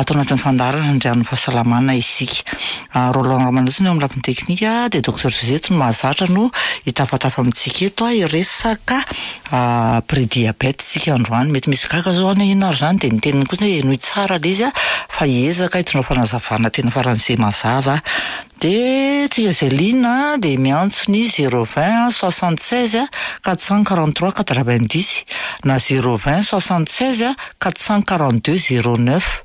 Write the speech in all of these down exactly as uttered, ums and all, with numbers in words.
Ato anatin'ny fandaharana Andrian'ny fahasalamana isika. Roland Ramanantsoa eo amin'ny lafiny teknika, dia Docteur Josette no mahazatra no hitafatafa amintsika eto a hiresaka prédiabète isika androany. Mety misy gaga zao any, inona ary zany? Dia ny teniny kosa henoy tsara le izy a fa hiezaka hitondra fanazavana tena faran'izay mazava. Dia tsika izay liana dia miantso ny zéro vingt soixante seize quatre cent quarante trois quatre vingt dix na zéro vingt soixante seize quatre cent quarante deux zéro neuf.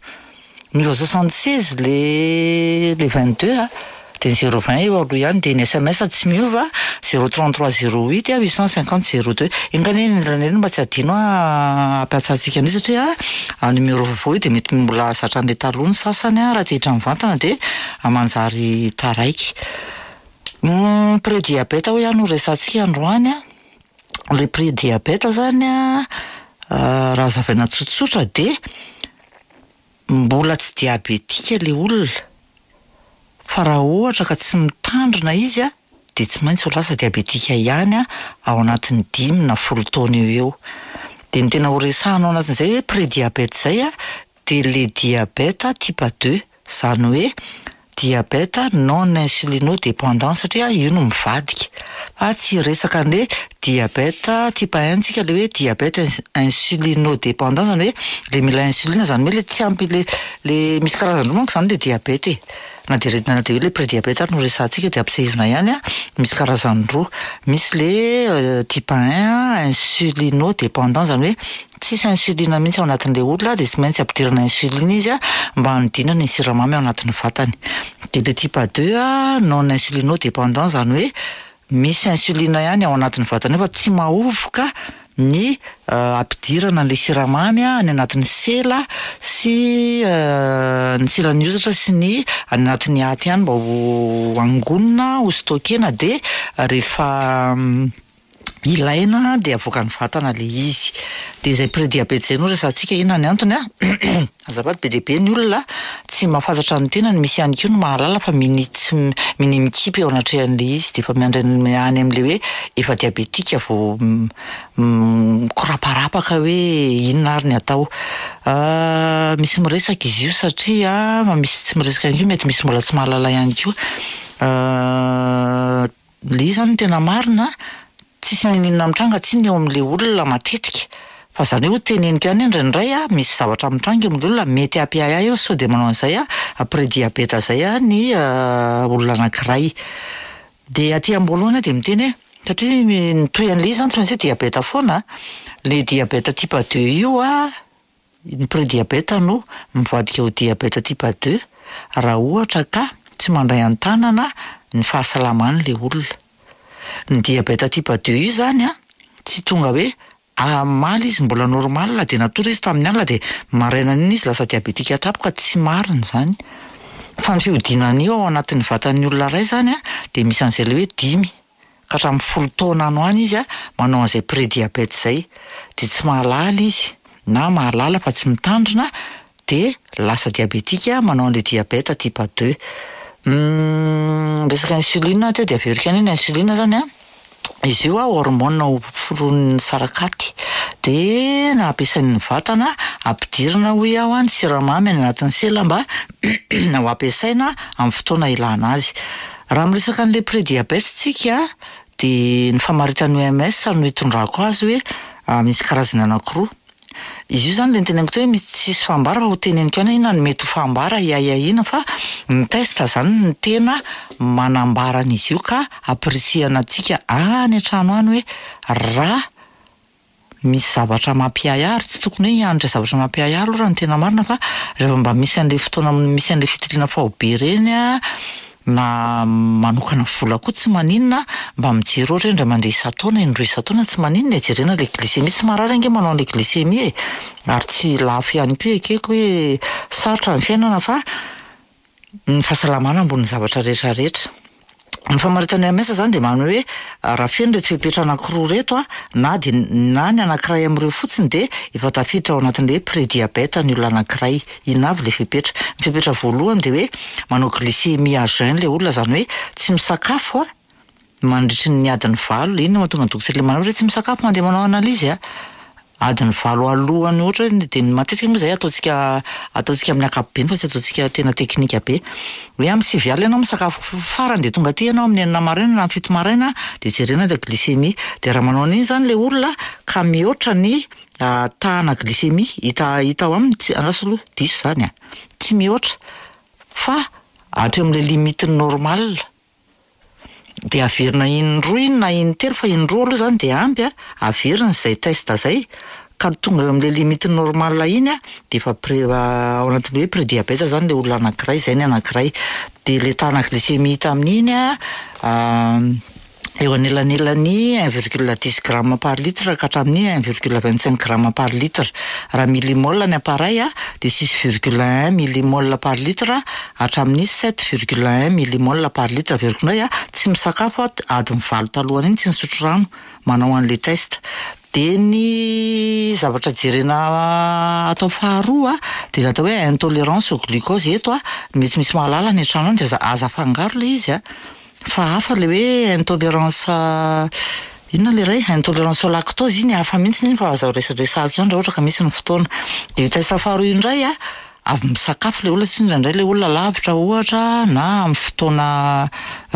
Miova soixante seize le le vingt deux a de ny zéro vingt eo aloha ihany, de ny S M S tsy miova, zéro trente trois zéro huit huit cent cinquante zéro deux. Ingany eny mba tsy adino a ampiatsantsika an'io, satria numéro vaovao io de mety mbola zatra an'le taloha ny sasany a raha te hiditra mivantana de manjary taraiky. Prédiabète hoy aho no resantsika androany a le prédiabète zany a raha hazavaina tsotsotra, de mbola tsy diabetika le olona, fa raha ohatra ka tsy mitandrina izy a de tsy maintsy ho lasa diabetika ihany a ao anatin'ny dimy na folo taona eo eo. De ny tena ho resahana ao anatin'izay hoe prédiabète zay a de le diabète type deux, zany hoe diabète non insulino dépendant, satria io no mivadika, fa tsy resaka an'le diabète type un tsika, le hoe diabète insulino dépendant, zany hoe le mila insuline, zany hoe le tsy ampy le le misy karazany roa manko zany le diabète e. Na de na de hoe le prédiabète ary no resahantsika, de ampisehoana ihany a misy karazany roa: misy le type un insulino dépendant, zany hoe tsisy insuline mihitsy ao anatin'le olona, de tsy maintsy ampidirana insuline izy a mba hanodinana ny siramamy ao anatin'ny vatany; de le type deux a non insulino dépendant, zany hoe misy insuline ihany ao anatin'ny vatany eo fa tsy mahovoka ny ampidirana an'le siramamy a any anatin'ny sela sy ny selan'ny hozatra sy ny any anatin'ny aty ihany mba ho angonina, ho stockena, de rehefa ilaina de avoakan'ny vatana le izy. De zay prédiabète zay no resahantsika. Inona ny antony a azafady? Be dia be ny olona tsy mahafantatra ny tenany, misy ihany koa no mahalala fa mini tsy mini mikipy eo anatrehan'le izy, de efa miandry any am'le hoe efa diabetika vao mikoraparapaka hoe inona ary ny atao. Misy miresaka izy io satria fa misy tsy miresaka ihany koa, mety misy mbola tsy mahalala ihany koa le izy. Zany no tena marina, tsisy nininona mitranga tsy ny eo am'le olona matetika, fa zany hoe ho teneniko ihany indraindray a misy zavatra mitranga eo am'le olona mety hampiahiahy eo sao de manao an'izay a prédiabète zay a ny olona anankiray. De aty am-boalohany aho de miteny hoe satria ny toy an'le izy zany tsy maintsy hoe diabète foana le diabète type deux io a ny prédiabète no mivadika ho diabète type deux raha ohatra ka tsy mandray an-tanana ny fahasalamany le olona. Ny diabète type deux io zany a tsy tonga hoe amaly izy mbola normal de natory izy tamin'ny alina, de marainan'iny izy lasa diabetika tampoka. Tsy marina zany, fa ny fihodinan'io ao anatin'ny vatan'ny olona ray zany a de misy an'izay le hoe dimy ka hatramin'ny folo taona ano any izy a manao an'izay prédiabète zay, de tsy mahalala izy na mahalala fa tsy mitandrina, de lasa diabetika manao an'le diabète type deux. Resaka insuline teo de averiko ihany hoe ny insuline zany a izy io a hormone foron'ny sarakaty, de na ampiasain'ny vatana ampidirina, hoy aho a ny siramamy any anatin'ny sela mba ho ampiasaina amin'ny fotoana ilana azy. Raha miresaka an'le prédiabète tsika, de ny famaritan'ny O M S no hitondrako azy hoe misy karazany anankiroa izy io zany. Le niteneniko teo hoe misy tsisy fambara, fa ho teneniko ihany inona ny mety ho fambara hiahiahiana, fa ny test zany ny tena manambara an'izy io, ka ampirisihana antsika any an-trano any hoe raha misy zavatra mampiahiahy, ary tsy tokony hoe hiandry zavatra mampiahiahy aloha raha ny tena marina, fa rehefa mba misy an'le fotoana misy an'le fitiliana faobe reny a na manokana vola koa tsy maninona, mba mijery ohatra hoe indray mandeha isan-taona, indroa isan-taona, tsy maninona e, jerena le glycémie. Tsy marary ange manao an'le glycémie e, ary tsy lafo ihany koa. Ekeko hoe sarotra ny fiainana, fa ny fahasalamana ambonin'ny zavatra rehetrarehetra. Ny famaritana O M S zany de manao hoe raha feno reto fepetra anankiroa reto a na de na ny anankiray am'ireo fotsiny, de efa tafiditra ao anatin'le hoe prédiabète ny olona anankiray. Inona avy le fepetra? Ny fepetra voalohany de hoe manao glycémie à jeun le olona, zany hoe tsy misakafo a mandritry ny adiny valo. Iny no mahatonga ny dokotera le manao hoe tsy misakafo mandeha manao analyse a Adiny valo alohany ohatra hoe, de matetika moa zay ataontsika ataontsika amin'ny ankapobeny fa tsy ataontsika tena teknika be, hoe amin'ny sivy alina ianao misakafo farany de tonga aty ianao amin'ny enina maraina na amin'ny fito maraina de jerena le glycémie, de raha manao an'iny zany le olona ka mihoatra ny tahana glycémie hita hita ao aminy, tsy andraso aloha, diso zany a, tsy mihoatra fa hatreo am'le limite normale, de averina indroa iny na intelo fa indroa aloha zany de ampy a, averina zay test zay ka tonga eo am'le limite normale iny a de efa pré- ao anatin'le hoe prédiabète zany le olona anankiray, zay ny anankiray. De le tahana glycémie hita amin'iny a eo anelanelan'ny un virgule dix gramme par litre ka hatramin'ny un virgule vingt cinq gramme par litre. Raha millimole ny appareil a de six virgule un millimole par litre hatramin'ny sept virgule un millimole par litre. Averiko indray a, tsy misakafo a adiny valo talohan'iny, tsy nisotro rano manao an'le test. De ny zavatra jerena atao faharoa de le atao hoe intolérance au glucose. Eto a mety misy mahalala any an-trano any de aza aza afangaro le izy a, fa hafa le hoe intolérance, inona le ray, intolérance au lactose iny hafa mihitsy iny fa aza resadresahako ihany raha ohatra ka misy ny fotoana. De io test faharoa io indray a, avy misakafo le olona satria indraindray le olona lavitra ohatra na amin'ny fotoana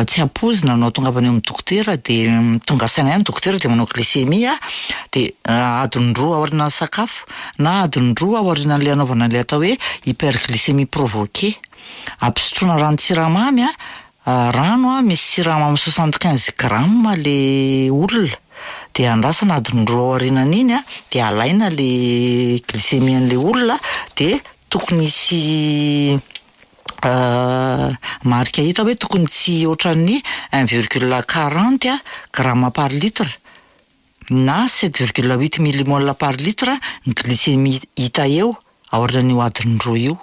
tsy ampoizina no ahatongavana eo amin'ny dokotera, de tonga saina ihany dokotera de manao glycémie a, de adiny roa aorianan'ny sakafo na adiny roa aorianan'le anaovana an'le atao hoe hyperglycémie provoquée. Ampisotroana ranon-tsiramamy a, rano a misy siramamy soixante quinze gramme le olona, de andrasana adiny roa aorianan'iny a, de alaina le glycémie an'le olona, de tokony hisy marika hita hoe tokony tsy ohatran'ny un virgule quarante a gramme par litre na sept virgule huit millimole par litre ny glycémie hita eo aorian'io adiny roa io.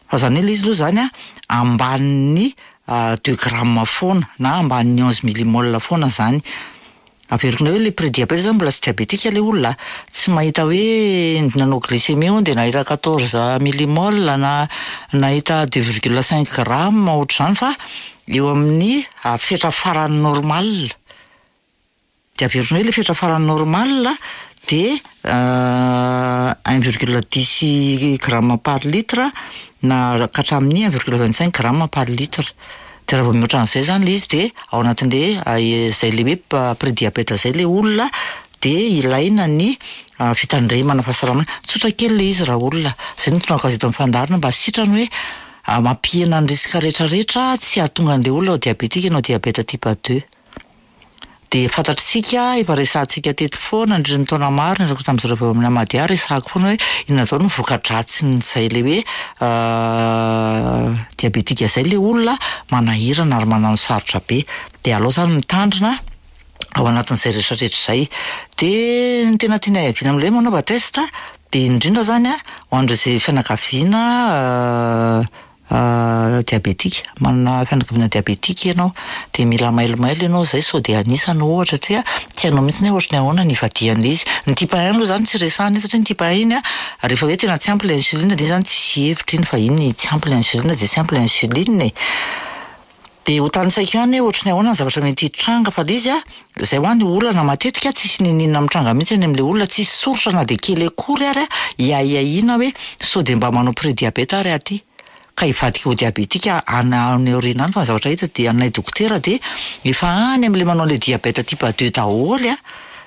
Fa zany hoe le izy aloha zany a ambanin'ny deux grammes foana na ambanin'ny onze millimole foana zany. Averiko indray hoe le prédiabète zany mbola tsy diabétique le olona, tsy mahita hoe nanao glycémie hono de nahita quatorze millimole na nahita deux virgule cinq gramme ohatr'izany fa eo amin'ny fetra farany normal. De averiko indray hoe le fetra farany normal de un virgule dix gramme par litre na ka hatramin'ny un virgule vingt cinq gramme par litre. De raha vao mihoatra an'izay zany le izy de ao anatin'le zay le hoe prédiabète zay le olona, de ilaina ny fitandremana fahasalamana. Tsotra kely le izy raha olona, zay no tonga eto amin'ny fandaharana mba sitrany hoe mampihena ny risque rehetrarehetra tsy hahatonga an'le olona ho diabétique na diabète type deux. De fantatritsika efa resahantsika teto foana nandritra ny taona maro niaraka tamin'izareo avy ao amin'ny Amadia, resahako foana hoe inona daholo ny voka-dratsin'izay le hoe diabétique zay le olona, manahirana ary manano sarotra be. De aleo zany mitandrina ao anatin'izay rehetrarehetra zay. De ny tena tiana hiaviana am'le hoe manaova test de indrindra zany a ho an'ireo zay fianakaviana diabétique, manana fianakaviana diabétique ianao de mila mailomailo ianao zay sao de anisany ohatra satria tsy hainao mihitsy hoe ohatry ny ahoana ny ivadihan'le izy. Ny type un aloha zany tsy resahana io satria ny type un iny a rehefa hoe tena tsy ampy le insuline de iny zany tsisy hevitra iny fa iny tsy ampy le insuline de tsy ampy le insuline e. De ho tanisaiko ihany hoe ohatry ny ahoana ny zavatra mety hitranga fa le izy a zay ho any olana matetika tsisy n'inon'inona mitranga mihitsy any am'le olona, tsisy soritra na de kely akory ary a hiahiahiana hoe sao de mba manao prédiabète ary aty ka hivadika ho diabétique any any aoriana any. Fa ny zavatra hita de aminay dokotera de efa any am'le manao le diabète type deux daholo a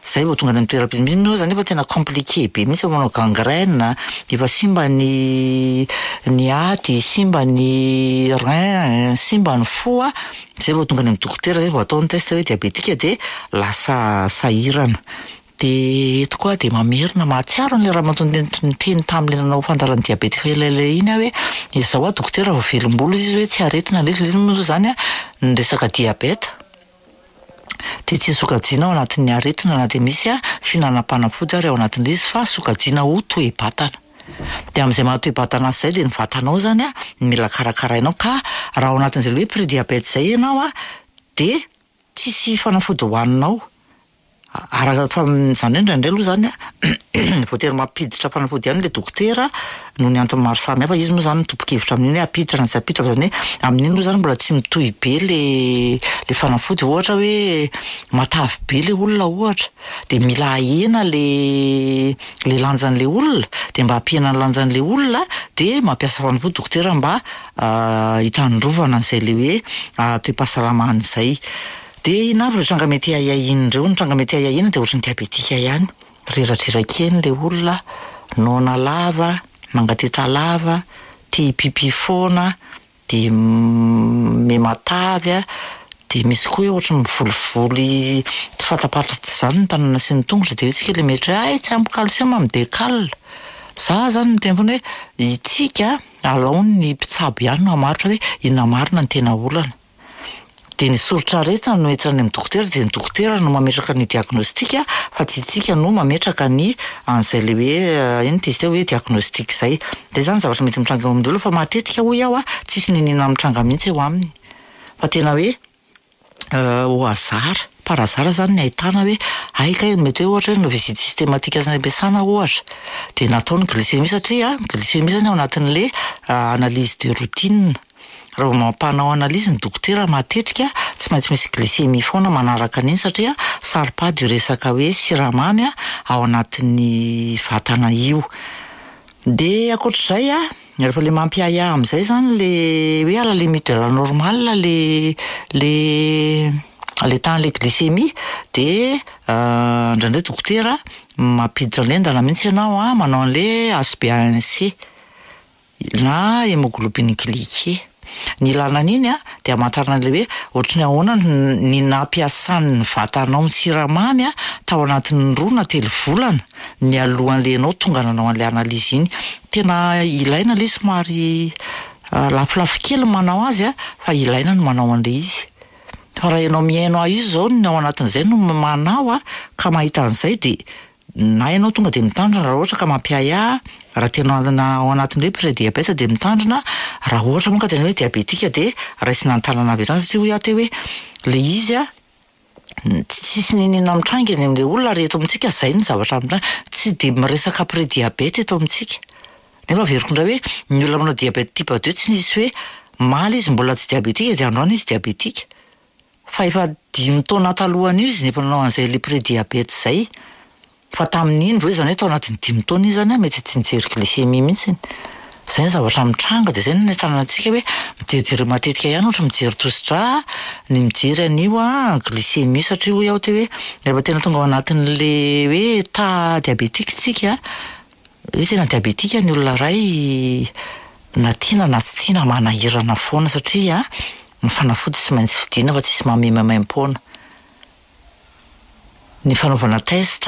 zay vao tonga any amin'ny toeram-pi- misy moa zany efa tena compliqué be mihitsy, efa manao gangrène, efa simba ny ny aty, simba ny rein, simba ny fo a, zay vao tonga any amin'ny dokotera, zay vao atao ny test hoe diabétique de lasa sahirana. De eto koa de mamerina mahatsiaro an'le ramatoa niteny niteny tam'le nanao fandaharan'ny diabète efa elaela iny aho hoe izao a dokotera vao velom-bolo izy hoe tsy aretina le izy, le izy moa zany a ny resaka diabète de tsy sokajiana ao anatin'ny aretina na de misy a fihinanam-panafody ary ao anatin'le izy fa sokajiana ho toe-batana. De am'izay maha-toe-batana azy zay de ny vatanao zany a mila karakarainao, ka raha ao anatin'izay le hoe prédiabète zay ianao a de tsisy fanafody hohaninao. Araka fa zany hoe indraindray aloha zany a voatery mampiditra fanafody ihany le dokotera noho ny antony maro samihafa. Izy moa zany no tompon-kevitra amin'iny hoe ampiditra na tsy ampiditra, fa zany hoe amin'iny aloha zany mbola tsy mitohy be le le fanafody. Ohatra hoe matavy be le olona ohatra, de mila ahena le le lanjan'le olona, de mba hampihena ny lanjan'le olona de mampiasa fanafody dokotera mba hitandrovana an'izay le hoe toe-pahasalamana izay. De inona avy ireo tranga mety ahiahiana ireo? Ny tranga mety ahiahiana de ohatran'ny diabetika ihany, reradreraka eny le olona, noana lava, mangateta lava, te hipipi foana, de miha-matavy a, de misy koa hoe ohatry ny mivolivoly tsy fatapantatra zany ny tanana sy ny tongotra de eo tsika le mieritreritra hoe hay tsy ampy calcium mi-décal. Za zany miteny foana hoe itsika alao ny mpitsabo ihany no hamaritra hoe inona marina ny tena olana. De ny soritr'aretina no entina any amin'ny dokotera, de ny dokotera no mametraka ny diagnostic fa tsy itsika no mametraka ny an'izay le hoe inona ty izy teo hoe diagnostic zay. Zay zany zavatra mety mitranga eo amin'ny olona fa matetika hoy aho a tsisy n'inon'inona mitranga mihitsy eo aminy. Fa tena hoe au hasard, par hasard zany ny ahitana hoe hay kay mety hoe ohatra hoe nanao visite systématique tany am-piasana ohatra, de natao ny glycémie satria ny glycémie zany ao anatin'le analyse de routine. Raha vao mampanao analyse ny dokotera matetika tsy maintsy misy glycémie foana manaraka an'iny satria saro-pady io resaka hoe siramamy a ao anatin'ny vatana io. De ankoatr'izay a, rehefa le mampiahiahy am'izay zany le hoe à la limite de la normale le le le tahan'le glycémie de indraindray dokotera mampiditra an'le mihitsy ianao a manao an'le H B A un C na hémoglobine glyquée. Ny ilana an'iny a de hamantarana an'le hoe ohatry ny ahoana ny nampiasan'ny vatanao ny siramamy a tao anatin'ny roa na telo volana mialohan'le ianao tonga nanao an'le analyse iny. Tena ilaina le somary lafolafo kely ny manao azy a fa ilaina ny manao an'le izy. Fa raha ianao mihaino ahy io zao ny ao anatin'izay no manao a ka mahita an'izay de na ianao tonga de mitandrina raha ohatra ka mampiahiahy, raha tena ao anatin'le hoe prédiabète de mitandrina, raha ohatra moa ka tena hoe diabetika de raisina an-tanana avy hatrany satria hoy aho teo hoe le izy a tsisy n'inon'inona mitranga eny amin'le olona ary eto amintsika zay ny zavatra mitranga, tsy de miresaka prédiabète eto amintsika. Nefa averiko indray hoe ny olona manao diabète type deux tsy nisy hoe maly izy mbola tsy diabetika de androany izy diabetika. Fa efa dimy taona talohan'io izy no efa nanao an'izay le prédiabète zay. Fa tamin'iny vao zany hoe tao anatin'ny dimy taona izy zany a mety tsy nijery glycémie mihitsiny. Zay ny zavatra mitranga de zay no nentanana antsika hoe mijerijery matetika ihany ohatra mijery tosi-drà, ny mijery an'io a glycémie satria hoy aho teo hoe rehefa tena tonga ao anatin'le hoe état diabétique tsika, hoe tena diabetika ny olona iray na tiana na tsy tiana manahirana foana satria ny fanafody tsy maintsy vidiana fa tsisy manome maimaim-poana. Ny fanaovana test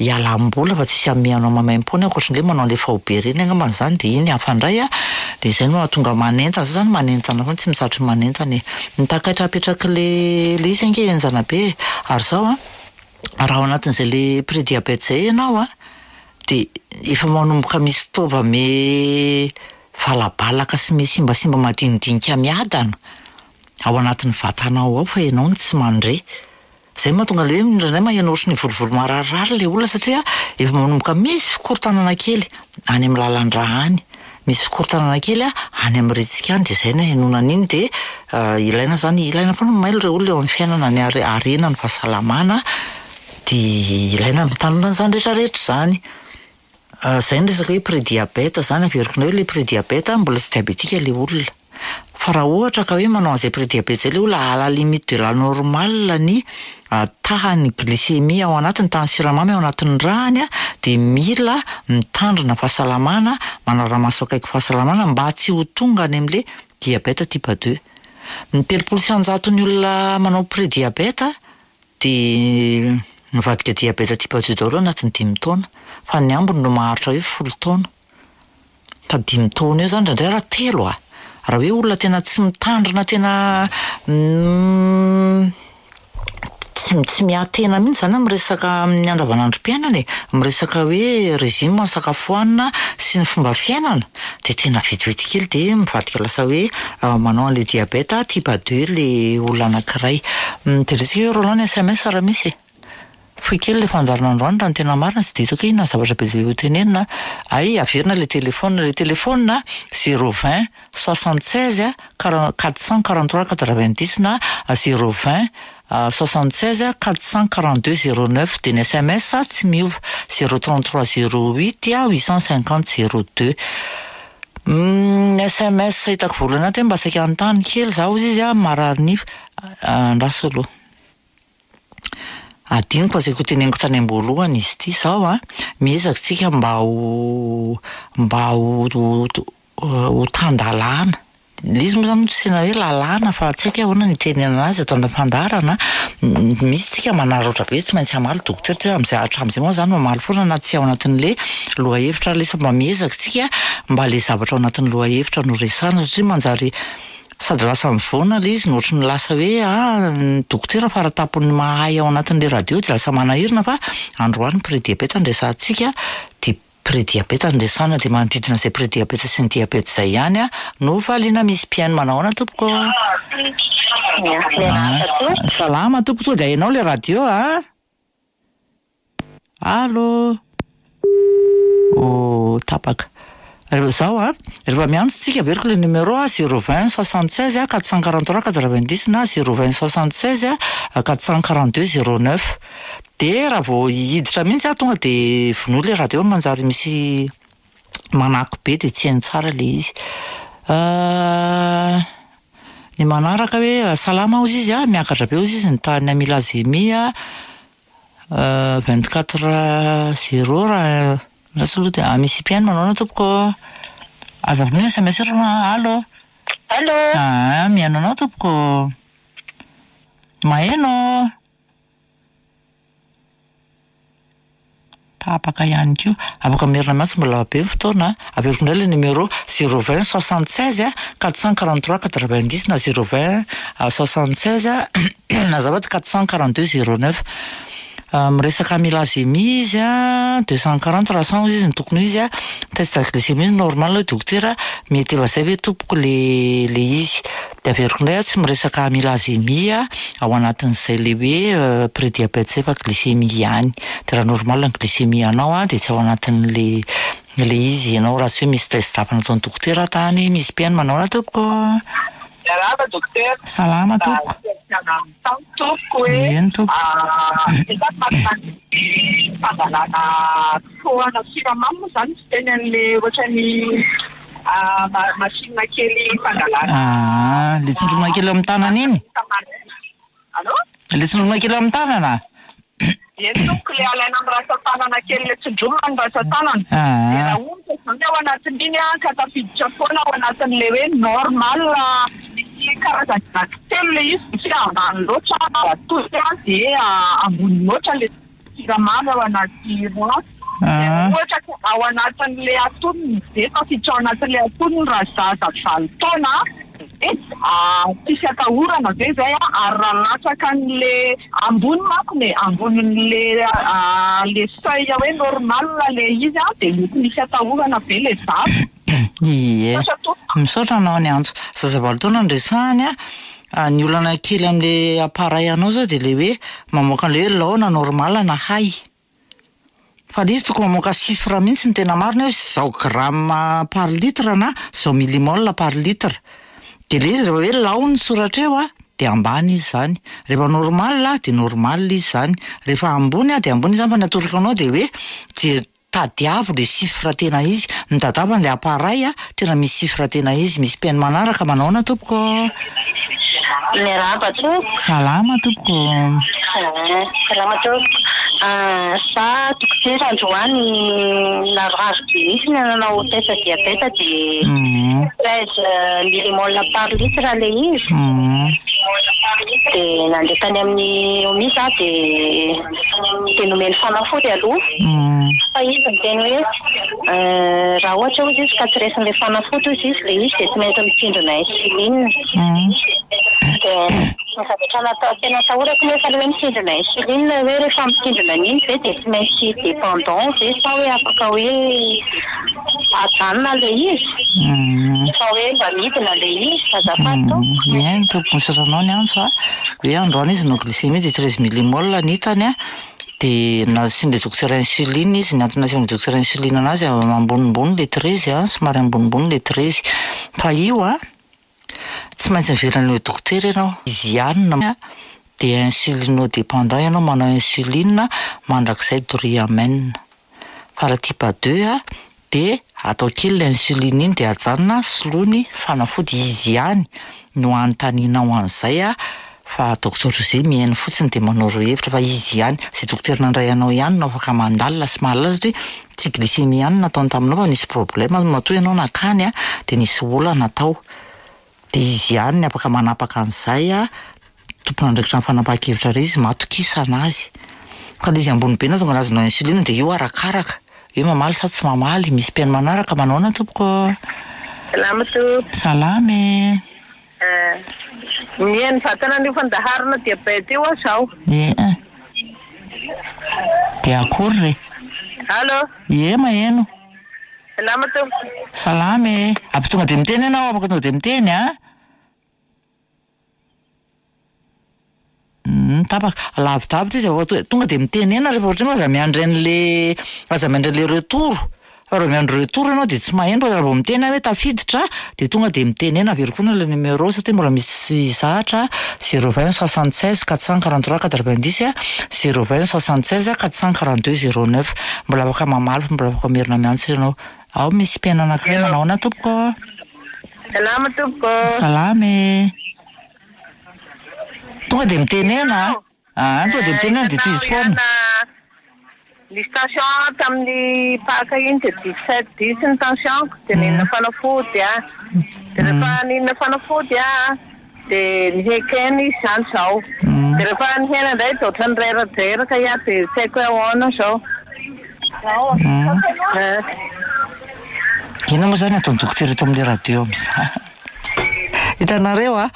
ialam-bola fa tsisy hanome anao maimaim-poana ankoatran'le manao an'le faobe reny angambany zany de iny hafa indray a de zay no mahatonga manentana, zay zany manentana foana tsy mitsahatra manentana e. Ny takaitra apetrak'le le izy ange henjana be e, ary zao a raha ao anatin'izay le prédiabète zay ianao a de efa manomboka misy taova me valabalaka sy me simbasimba madinidinika miadana ao anatin'ny vatanao ao fa ianao no tsy mandre. Zay mahatonga le hoe indraindray maheno ohatry ny volovolo mararirary le olona satria efa manomboka misy fikorontanana kely any amin'ny lalan-drà any, misy fikorontanana kely a any amin'ny retsika any de zay no ahenoana an'iny de ilaina zany, ilaina foana mailo ireo olona eo amin'ny fiainana ny are- harena ny fahasalamana de ilaina mitandrina an'izany rehetrarehetra zany. Zay ny resaka hoe prédiabète zany, averiko indray hoe le prédiabète mbola tsy diabetika le olona. Fa raha ohatra ka hoe manao an'izay prédiabète zay le olona à la limite de la normale ny tahan'ny glycémie ao anatiny, tahan'ny siramamy ao anatin'ny ràny a de mila mitandrina fahasalamana, manara-maso akaiky fahasalamana mba tsy ho tonga any amin'le diabète type deux. Ny telopolo sy anjaton'ny olona manao prédiabète de mivadika diabète type deux daholo anatin'ny dimy taona, fa ny ambiny no maharitra hoe folo taona. Fa dimy taona eo zany indraindray raha telo a, raha hoe olona tena tsy mitandrina tena tsy tsy miahy-tena mihitsy zany amin'ny resaka amin'ny andavanandrom-piainana e, amin'ny resaka hoe régime sakafo hohanina sy ny fomba fiainana de tena vetivety kely de mivadika lasa hoe manao an'le diabète type deux le olona anankiray. Jerentsika hoe Roland ny S M S raha misy e. Fohy kely le fandaharana androany raha ny tena marina, tsy de hitako hoe inona ny zavatra be dia ho tenenina. Ay, averina le téléphone, le téléphone zéro vingt soixante seize quatre cent quarante trois quatre vingt dix na zéro vingt soixante seize quatre cent quarante deux zéro neuf, de ny S M S tsy miova zéro trente trois zéro huit huit cent cinquante zéro deux. Ny S M S hitako voalohany ato hoe mba saika hanontany kely zaho hozy izy a, marary nify, andraso aloha. Adinoko fa saika ho teneniko tany am-boalohany izy ity zao a, miezaka tsika mba ho, mba ho, ho, ho tan-dalàna. Ilay izy moa zany tsy tena hoe lalàna fa tsy haiko hoe ahoana ny itenenana azy ato anaty fandaharana. Misy tsika manararaotra be tsy maintsy hamaly dokotera satria amin'izay hatramin'izay moa zany mamaly foana na tsy ao anatin'le lohahevitra ilay izy fa mba miezaka tsika mba le zavatra ao anatin'ny lohahevitra no resahana satria manjary sady lasa mivoana ilay izy no ohatry ny lasa hoe ah, ny dokotera faratampony mahay ao anatin'le radio de lasa manahirana fa androany prédiabète no resahantsika de prédiabète no resahana de manodidina izay prédiabète sy ny diabète izay ihany a no valiana. Misy mpihaino manao ahoana tompoko? Salama tompoko, tonga de hainao le radio a? Allô? Oh, tapaka. Rehefa zao a, rehefa miantso tsika averiko le numéro a, zéro vingt soixante seize quatre cent quarante trois quatre vingt dix na zéro vingt soixante seize quatre cent quarante deux zéro neuf. De raha vao hiditra mihitsy a, tonga de vonoa le radio manjary misy manako be de tsy haino tsara le izy. Ny manaraka hoe salama hozy izy a, miakatra be hozy izy ny tahan'ny amylazemia vingt quatre zéro raha lasa aloha de misy mpihaino manao ahoana tompoko? Aza vonoina S M S aloha. Allô? Allô? Ah, mihaino anao tompoko. Maheno? Tapaka ihany koa. Afaka merina miantso mbola be ny fotoana. Averiko indray le numéro zéro vingt soixante seize quatre cent quarante trois quatre vingt dix na zéro vingt soixante seize azafady quatre cent quarante deux zéro neuf. Miresaka amylazemia izy a, deux cent quarante raha cent izy ny tokony ho izy a. Test de glycémie normal hoe dokotera, mety efa zay ve tompoko le le izy. De averiko indray a, tsy miresaka amylazemia ao anatin'izay le hoe prédiabète zay fa glycémie ihany. De raha normal ny glycémie anao a, de tsy ao anatin'le le izy ianao raha tsy hoe misy test hafa nataon'ny dokotera tany. Misy mpihaino manao ahoana tompoko? Miarahaba dokotera. Salama tompoko. Tompoko hoe, Eny tompoko. Fangalana fohana siramamy moa zany tsy teny an'le ohatran'ny machine kely fangalana. Ah, le tsindromana kely amin'ny tanana iny? Allô? Le tsindromana kely amin'ny tanana? Eny tompoko, le alaina amin'ny rantsan-tanana kely, le tsindromana ny rantsan-tanana. Ah. De raha ohatra zany ao anatin'iny a, ka tafiditra foana ao anatin'le hoe normal, misy karazana anankitelo le izy, tsy ambany loatra, atody a, de ambony loatra le siramamy ao anaty rano. Ah. Ohatra ka ao anatin'le atonony, de tafiditra ao anatin'le atonony raha zaza valo taona, de tsisy atahorana ve zay a, ary raha latsaka an'le ambony manko ne, ambonin'le, le seuil hoe normal le izy a, de mety misy atahorana ve le zaza? Ie. Misaotra tompoko. Misaotra anao ny antso. Zaza valo taona no resahany a, ny olana kely amin'le appareil anao zao de le hoe mamoaka an'le hoe lao na normal na hay. Fa le izy tokony mamoaka chiffre mihitsy ny tena marina hoe zao gramme par litre na zao millimole par litre. De le izy rehefa hoe lao ny soratra eo a, de ambany izy zany. Rehefa normal de normal izy zany. Rehefa ambony a, de ambony izy zany, fa ny atoroko anao de hoe jery tadiavo le chiffre tena izy. Mitadiava an'le appareil a, tena misy chiffre tena izy. Misy mpihaino manaraka manao ahoana tompoko? Miarahaba tompoko. Salama tompoko. Salama tompoko. Za dokotera androany lavorary be mihitsy ny nanao test diabète de treize millimole par litre le izy. De nandeha tany amin'ny O M I za de de nomeny fanafody aloha. Fa izy niteny hoe raha ohatra hozy izy ka tsy raisin'ilay fanafody hozy izy le izy de tsy maintsy mitsindrona insuline. De ny zavatra natao tena atahorako nefa le hoe mitsindrona insuline hoe rehefa mitsindrona an'iny ve de tsy maintsy dépendant ve sa hoe afaka hoe ajanona le izy? Fa hoe mba midina le izy, azafady tompoko. Eny tompoko, misaotra anao ny antso a. Hoe androany izy no glycémie de treize millimole ny hitany a. De nasian'le dokotera insuline izy, ny antony nasian'le dokotera insuline anazy ambonimbony le treize a, somary ambonimbony le treize. Fa io a tsy maintsy miverina any dokotera ianao, izy ihany na de insulino-dépendant ianao, manao insuline mandrakizay doria amen. Fa raha type deux a de atao kely le insuline iny de ajanona, soloiny fanafody. Izy ihany no anontanianao an'izay a, fa docteur José mihaino fotsiny de manoro hevitra, fa izy ihany zay dokotera nandray anao ihany no afaka mandalina sy mahalala, satria tsy glycémie ihany nataony taminao fa nisy problème matoa ianao nakany a, de nisy olana tao, de izy ihany ny afaka manapaka an'izay a, tompon'andraikitra ny fanapahan-kevitra re izy, matokisana azy. Fa le izy ambony be na tonga anazy nao insuline, de io arakaraka hoe mamaly sa tsy mamaly. Misy mpihaino manaraka, manahoana tompoko? Salama tompoko. Salama e. Mihaino vatana an'io fandaharana diabète io aho zao. E, de akory re? Allo? Ie, maheno. Salama tompoko. Salama e. Ampy tonga de miteny ianao, afaka tonga de miteny a. Tapaka lavidavitra izy, afaka tonga de mitenena rehefa ohatra hoe aza miandry an'le aza miandry an'le retour, fa raha miandry retour ianao de tsy maheno, fa raha vao miteny aho hoe tafiditra de tonga de mitenena. Averiko foana le numéro satria mbola misy zahatra: zéro vingt soixante seize quatre cent quarante trois quatre vingt dix, zéro vingt soixante seize quatre cent quarante deux zéro neuf. Mbola afaka mamaly, mbola afaka merina miantso ianao. Ao misy mpihaino anankiray, manahoana tompoko? Salama tompoko. Salama e. Tonga de mitenena a, tonga de mitenena de tohizo foana. Nisy tension tamin'ny paka iny de dix-sept dix ny tension, de nihinana fanafody a, de rehefa nihinana fanafody a de nihekena izy zany zao, de rehefa nihena indray de ohatran'ny reradreraka ia, de tsy haiko hoe ahoana zao. Inona moa zany ataon'ny dokotera eto amin'le radio amin'izany? Hitanareo a,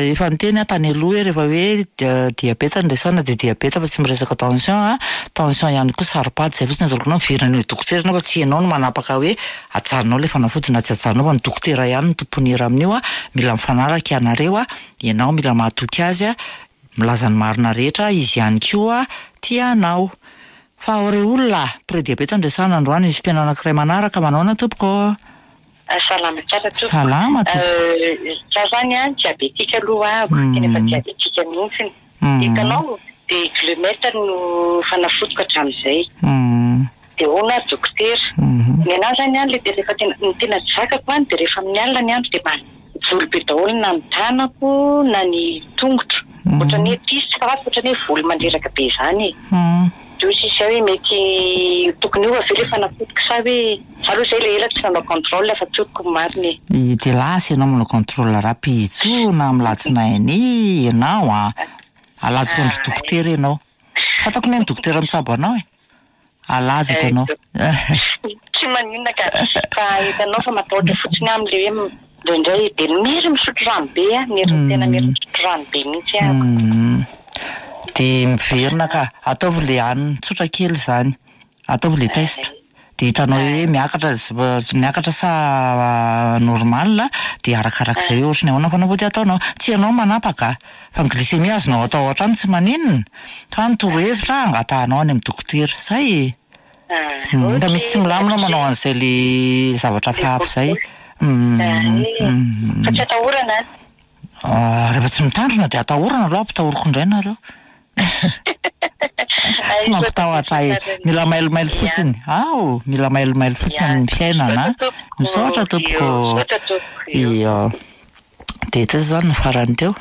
efa niteny aho tany aloha hoe rehefa hoe diabeta no resahana de diabeta fa tsy miresaka tension a, tension ihany koa saro-pady, zay fotsiny ataoko anao, miverina any dokotera ianao fa tsy ianao no manapaka hoe ajanonao le fanafody na tsy ajanonao, fa ny dokotera ihany no tompony hira amin'io a, mila mifanaraka ianareo a, ianao mila mahatoky azy a, milaza ny marina rehetra izy ihany koa tia anao. Fa ao re olona, pré-diabeta no resahana androany, misy mpihaino anankiray manaraka, manahoana tompoko? Salama tsara tompoko. Salama tompoko. Za zany a diabetika aloha ahako, tena efa diabetika mihitsy. Hitanao de glumet no fanafodiko hatramin'izay. De hoana dokotera. Ny anahy zany a le rehefa tena ny tena zakako any de rehefa amin'ny alina ny andro de volo be daholo na ny tanako na ny tongotro. Ohatran'ny hoe tsisy fa ohatran'ny hoe volo mandreraka be zany e. De hoy sisa hoe mety tokony io avy le fanafodiko sa hoe za aloha zay le ela tsy nanao contrôle fa tokony marina e. De lasa ianao manao contrôle rapitso na amin'ny latsinainy ianao a, alazako andro dokotera ianao. Fantako ny dokotera mitsabo anao e. Alazako ianao. Tsy maninona ka, fa hitanao fa matahotra fotsiny aho amin'le hoe indraindray de miry misotro rano be a, miry tena miry misotro rano be mihitsy aho. De miverina ka, ataovy le hanina tsotra kely zany, ataovy le test, de hitanao hoe miakatra miakatra sa normal, de arakarak'izay hoe ohatran'ny ahoana fanafody ataonao. Tsy ianao manapaka fa ny glycémie azonao atao hatrany tsy maninona, fa ny torohevitra angatahanao any amin'ny dokotera, zay e. Fa misy tsy milamina manao an'izay le zavatra hafahafa izay. Fa tsy atahorana? Rehefa tsy mitandrina de atahorana aloha, ampitahoriko indray nareo. Tsy mampitahotra ahy, mila mailomailo fotsiny. Ao, mila mailomailo fotsiny amin'ny fiainana. Misaotra tompoko. Ia. De teo zany ny farany teo.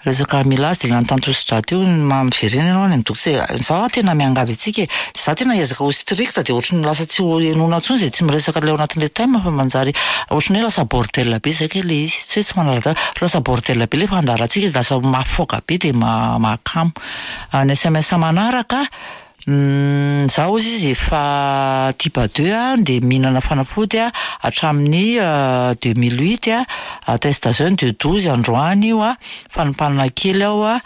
Resaka amylase de nanontany tosidra teo, miverena ianao any amin'ny dokotera. Zaho tena miangavy antsika e, za tena hiezaka ho strict de ohatran'ny lasa tsy ho henoina intsony zay tsy miresaka le ao anatin'le thème, fa manjary ohatran'ny hoe lasa bordel be zay kay le izy, tsy hoe tsy manaraka, lasa bordel be le fandaharantsika, de lasa mahafoaka be de mahakamo. Ny S M S manaraka, zaho hozy izy efa type deux a, de mihinana fanafody a hatramin'ny deux mille huit a, test jeune de douze androany io a, fanompanana kely aho a,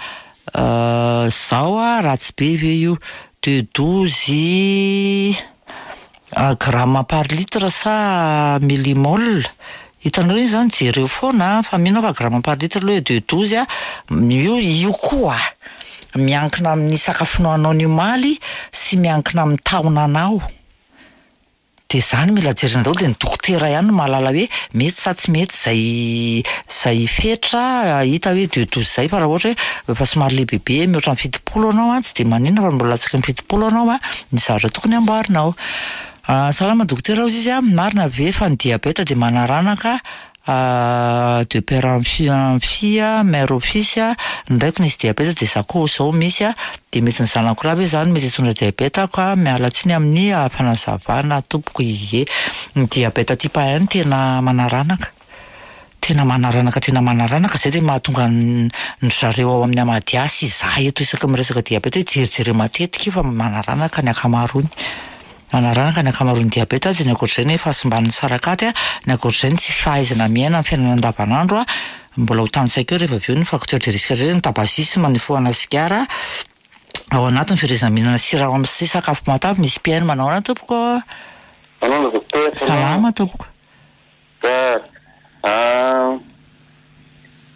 zao a ratsy be ve io de douze gramme par litre sa millimole? Hitanareo iny zany jereo foana fa mino aho fa gramme par litre aloha de douze a, io io koa. Miankina amin'ny sakafo nohaninao ny omaly sy miankina amin'ny taonanao. De zany mila jerena daholo, de ny dokotera ihany no mahalala hoe mety sa tsy mety zay zay fetra hita hoe deux douze zay. Fa raha ohatra hoe efa somary lehibebe mihoatra ny fitopolo anao a, tsy de maninona, fa mbola latsaky ny fitopolo anao a, ny zavatra tokony amboarinao. Salama dokotera, hozy izy a, marina ve fa ny diabeta de manaranaka de père en fille en fille, mère au fils? Ny raiko nisy diabeta, de za koa zao misy a, de mety ny zanako lahy ve zany mety hitondra diabeta ka? Miala tsiny amin'ny fanazavana tompoko. Ie, ny diabeta type un tena manaranaka, tena manaranaka, tena manaranaka zay, de mahatonga ny zareo ao amin'ny Amadiasy izahay eto isaky miresaka diabeta hoe jerijereo matetika io, fa manaranaka ny ankamaroany, manaranaka ny ankamaroan'ny diabeta. De ny ankoatr'izay ny fahasimban'ny sarakaty a, ny ankoatr'izay ny tsy fahaizana miaina amin'ny fiainana andavanandro a, mbola ho tanisaiko eo rehefa avy eo ny facteur de risque rehetra, ny tabagisme, ny fifohana sigara ao anatin'ny fiherezana mihinana siramamy sy sakafo matavy. Misy mpihaino manao ana tompoko. Salama docteur. Salama tompoko. Ah,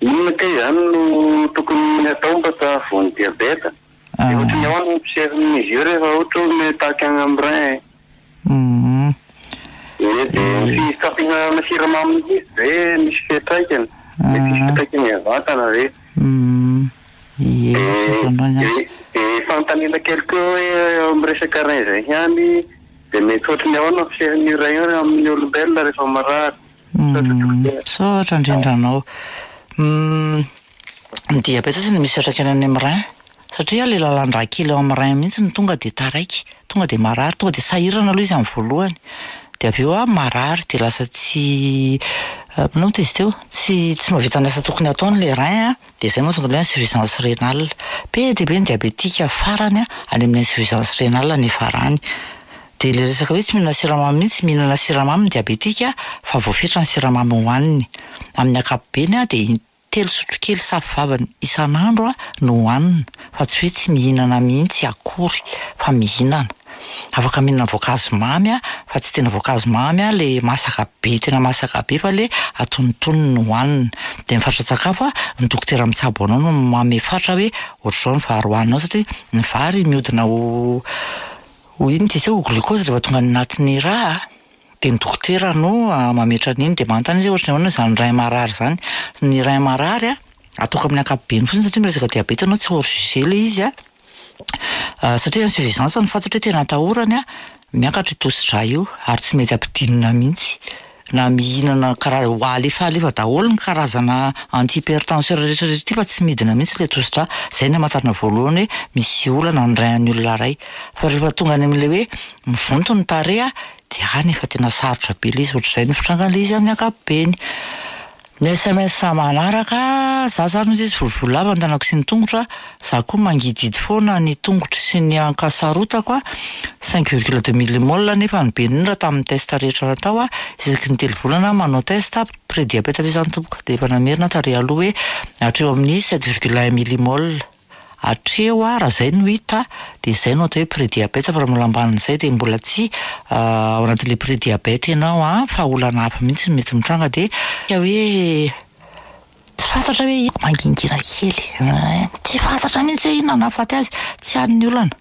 inona kay zany no tokony atao mba tsy hahavoan'ny diabeta? De ohatry ny ahoana ny io rehefa ohatra hoe mitaky any amin'ny rein? Mhm. E, de ny fihinanana siramamy mihitsy ve misy fiantraikany? Mety misy fiantraikany amin'ny vatana ve? Mm. Ie, misaotra anao ihany. De de fanontaniana kely koa hoe amin'ny resaka rein zay ihany, de mety ohatry ny ahoana ny fisehon'io rein io amin'ny olombelona rehefa marary? Misaotra dokotera. Misaotra indrindra anao. Mm, ny diabeta tsy misy fiantraikany any amin'ny rein, satria le lalan-drà kely ao amin'ny rein mihitsy no tonga de taraiky, tonga de marary, tonga de sahirana aloha izy amin'ny voalohany, de avy eo a marary, de lasa tsy inona moa izy teo, tsy tsy mahavita ny asa tokony ataony le rein a, de zay mahatonga le insuffisance rénale. Be dia be ny diabetika farany a any amin'ny insuffisance rénale ny farany. De le resaka hoe tsy mihinana siramamy mihitsy, mihinana siramamy ny diabetika fa voafetra ny siramamy hohaniny. Amin'ny ankapobeny a, de telo sotrokely safo vavany isan'andro a no hohanina, fa tsy hoe tsy mihinana mihitsy akory, fa mihinana. Afaka mihinana voankazo mamy a, fa tsy tena voankazo mamy a le masaka be, tena masaka be, fa le antonontonony no hohanina. De ny fatran-tsakafo a, ny dokotera mitsabo anao no manome fatra hoe ohatr'izao ny vary hohaninao, satria ny vary mihodina ho ho inona ty izy io, ho glucose rehefa tonga any anatin'ny rà a. De ny dokotera no mametra an'iny, de manontany izy hoe ohatry ny ahoana zany rein marary zany. Ny rein marary a, ataoko amin'ny ankapobeny fotsiny satria miresaka diabeta ianao, tsy hors sujet le izy a, satria insuffisance no fantatra hoe tena atahorany a, miakatra io tosi-drà io ary tsy mety ampidinina mihitsy. Na mihinana karaha ho alefalefa daholo ny karazana antihypertenseur rehetrarehetra ity fa tsy midina mihitsy le tosi-drà. Zay ny amantarana voalohany hoe misy olana ny rein an'ny olona iray. Fa rehefa tonga any amin'ilay hoe mivonto ny tarehy a, de any efa tena sarotra be le izy, ohatr'izay ny fitrangan'le izy amin'ny ankapobeny. Ny S M S manaraka, za zany hozy izy volovolo lava ny tanako sy ny tongotra, za koa mangidihidy foana ny tongotro sy ny ankasarotako a, cinq virgule deux millimole nefa ny be indrindra tamin'ny test rehetra natao a, isaky ny telo volana manao test. Pré-diabète ve zany tompoko? De efa namerina tary aloha hoe hatreo amin'ny sept virgule un millimole hatreo a, raha zay no hita de zay no atao hoe pré-diabète, fa raha mbola ambanin'izay de mbola tsy ao anatin'le pré-diabète ianao a, fa olana hafa mihitsy no mety mitranga. De hoe tsy fantatra hoe mangingina kely, tsy fantatra mihitsy hoe inona nahafaty azy, tsy any ny olana,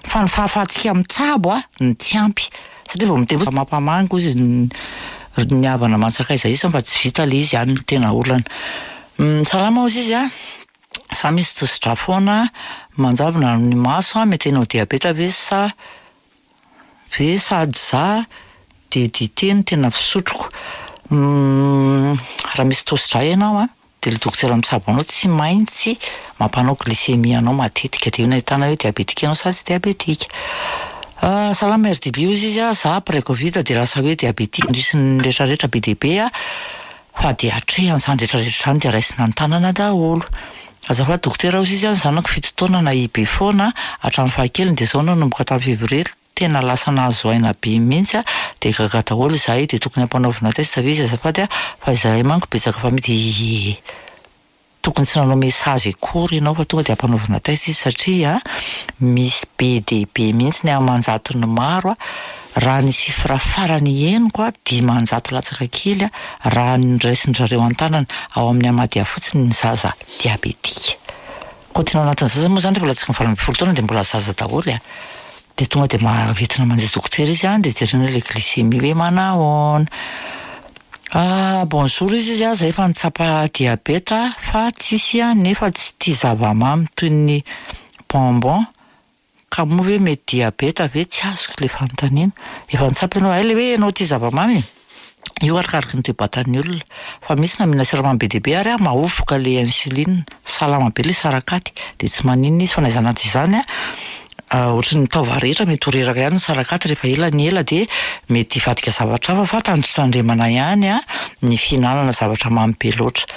fa ny fahafahantsika mitsabo a ny tsy ampy, satria vao miteny mampamangy ozy ny havana aman-tsakaiza isany fa tsy vita le izy, any no tena olana. Salama hozy izy a, za misy tosi-drà foana, manjavona ny maso a, mety hanao diabeta ve sa ve? Sady za de dite no tena fisotroko. Raha misy tosi-drà ianao a, de le dokotera mitsabo anao tsy maintsy mampanao glycémie anao matetika, de io no ahitana hoe diabetika ianao sa tsy diabetika. Salama R D B, hozy izy a, za après Covid de lasa hoe diabetika, misy ny rehetrarehetra be dia be a, fa de atrehana zany rehetrarehetra zany, de raisina an-tanana daholo. Azafady dokotera, hozy izy a, ny zanako fito taona nahia be foana hatramin'ny fahakeliny, de zao nanomboka tamin'ny février tena lasa nahazo aina be mihitsy a, de gaga daholo izahay, de tokony ampanaovina test ve izy azafady a, fa izahay manko betsaka famille? De ie, tokony tsy nanao message akory ianao fa tonga de ampanaovina test izy, satria misy be dia be mihitsy ny aman-jatony maro a, raha ny chiffre farany henoko a, dimanjato latsaka kely a, raha ny raisin-drareo an-tanana ao amin'ny Amadia fotsiny ny zaza diabetika. Kaotina ao anatin'ny zaza moa zany rehefa latsaky ny valo ambin'ny folo taona de mbola zaza daholo a. De tonga de mahavetina mandeha dokotera izy a, de jerena le glycémie hoe manahoana. Ah, bonjour izy izy a, zay efa nitsapa diabeta fa tsisy a, nefa tsy tia zava-mamy toy ny bonbon, ka moa ve mety diabeta ve? Tsy azoko le fanontaniana. Efa nitsapa ianao, hay le hoe ianao tia zava-mamy? Io arakaraky ny toe-batan'ny olona, fa misy na mihinana siramamy be dia be ary a mahovoka le insuline, salama be le sarakaty de tsy maninona izy, fa na izany na tsy izany a, ohatry ny taova rehetra mety ho reraka ihany ny sarakaty rehefa ela ny ela de mety hivadika zavatra hafa, fa tandrotandremana ihany a ny fihinanana zavatra mamy be loatra.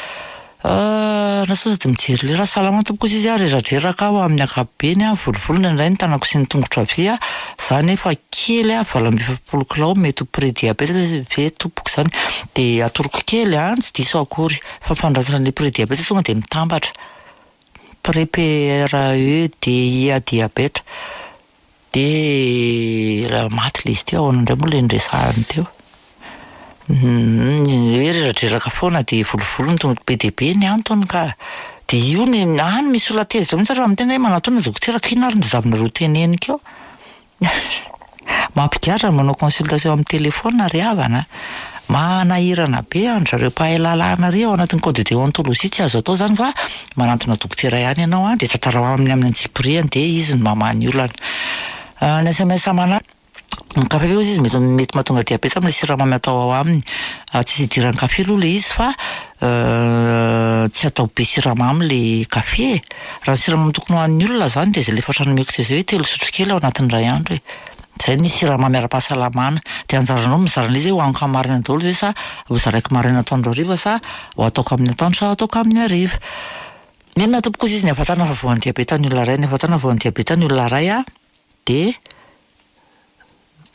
Na sao de mijery lera, salama tompoko izy izy a, reradreraka aho amin'ny ankapobeny a, volivoly indraindray ny tanako sy ny tongotro havia, za nefa kely a, valo amby efapolo kilao, mety ho pré-diabète ve tompoko zany? De atoroko kely a, tsy diso akory, fa ny fanoratana an'le pré-diabète tonga de mitambatra, pré P R E D I A diabète, de raha maty le izy teo, ahoana indray moa le niresahany teo? Hoe reradreraka foana de volivoly ny tongotra, be dia be ny antony ka. De io ny any misy olona tezitra mihitsy raha miteny hoe manatona dokotera ka inona ary ny zavinareo teneniko eo? Mampigadra ny manao consultation amin'ny téléphone ry havana. Manahirana be an-dry zareo mpahay lalàna ry ao anatin'ny code de déontologie, tsy azo atao zany fa manantona dokotera ihany ianao a, de tantarao aminy amin'ny antsipiriany de izy no mamaha ny olana. Ny S M S manaraka, ny kafe io izy mety mety mahatonga diabeta amin'ilay siramamy atao ao aminy. Tsisy idiran'ny kafe aloha le izy fa tsy atao be siramamy le kafe. Raha ny siramamy tokony ho an'ny olona zany de zay le efa nomeko teo zay hoe telo sotrokely ao anatin'ny iray andro e. Zay ny siramamy ara-pahasalamana. De anjaranao mizara an'ilay izy hoe hohaniko amin'ny maraina daholo ve sa ho zaraiko maraina atoandro hariva sa ho ataoko amin'ny atoandro sa ho ataoko amin'ny hariva. Nenina tompoko izy ny ahafantarana fa voan'ny diabeta ny olona iray, ny ahafantarana fa voan'ny diabeta ny olona iray a, de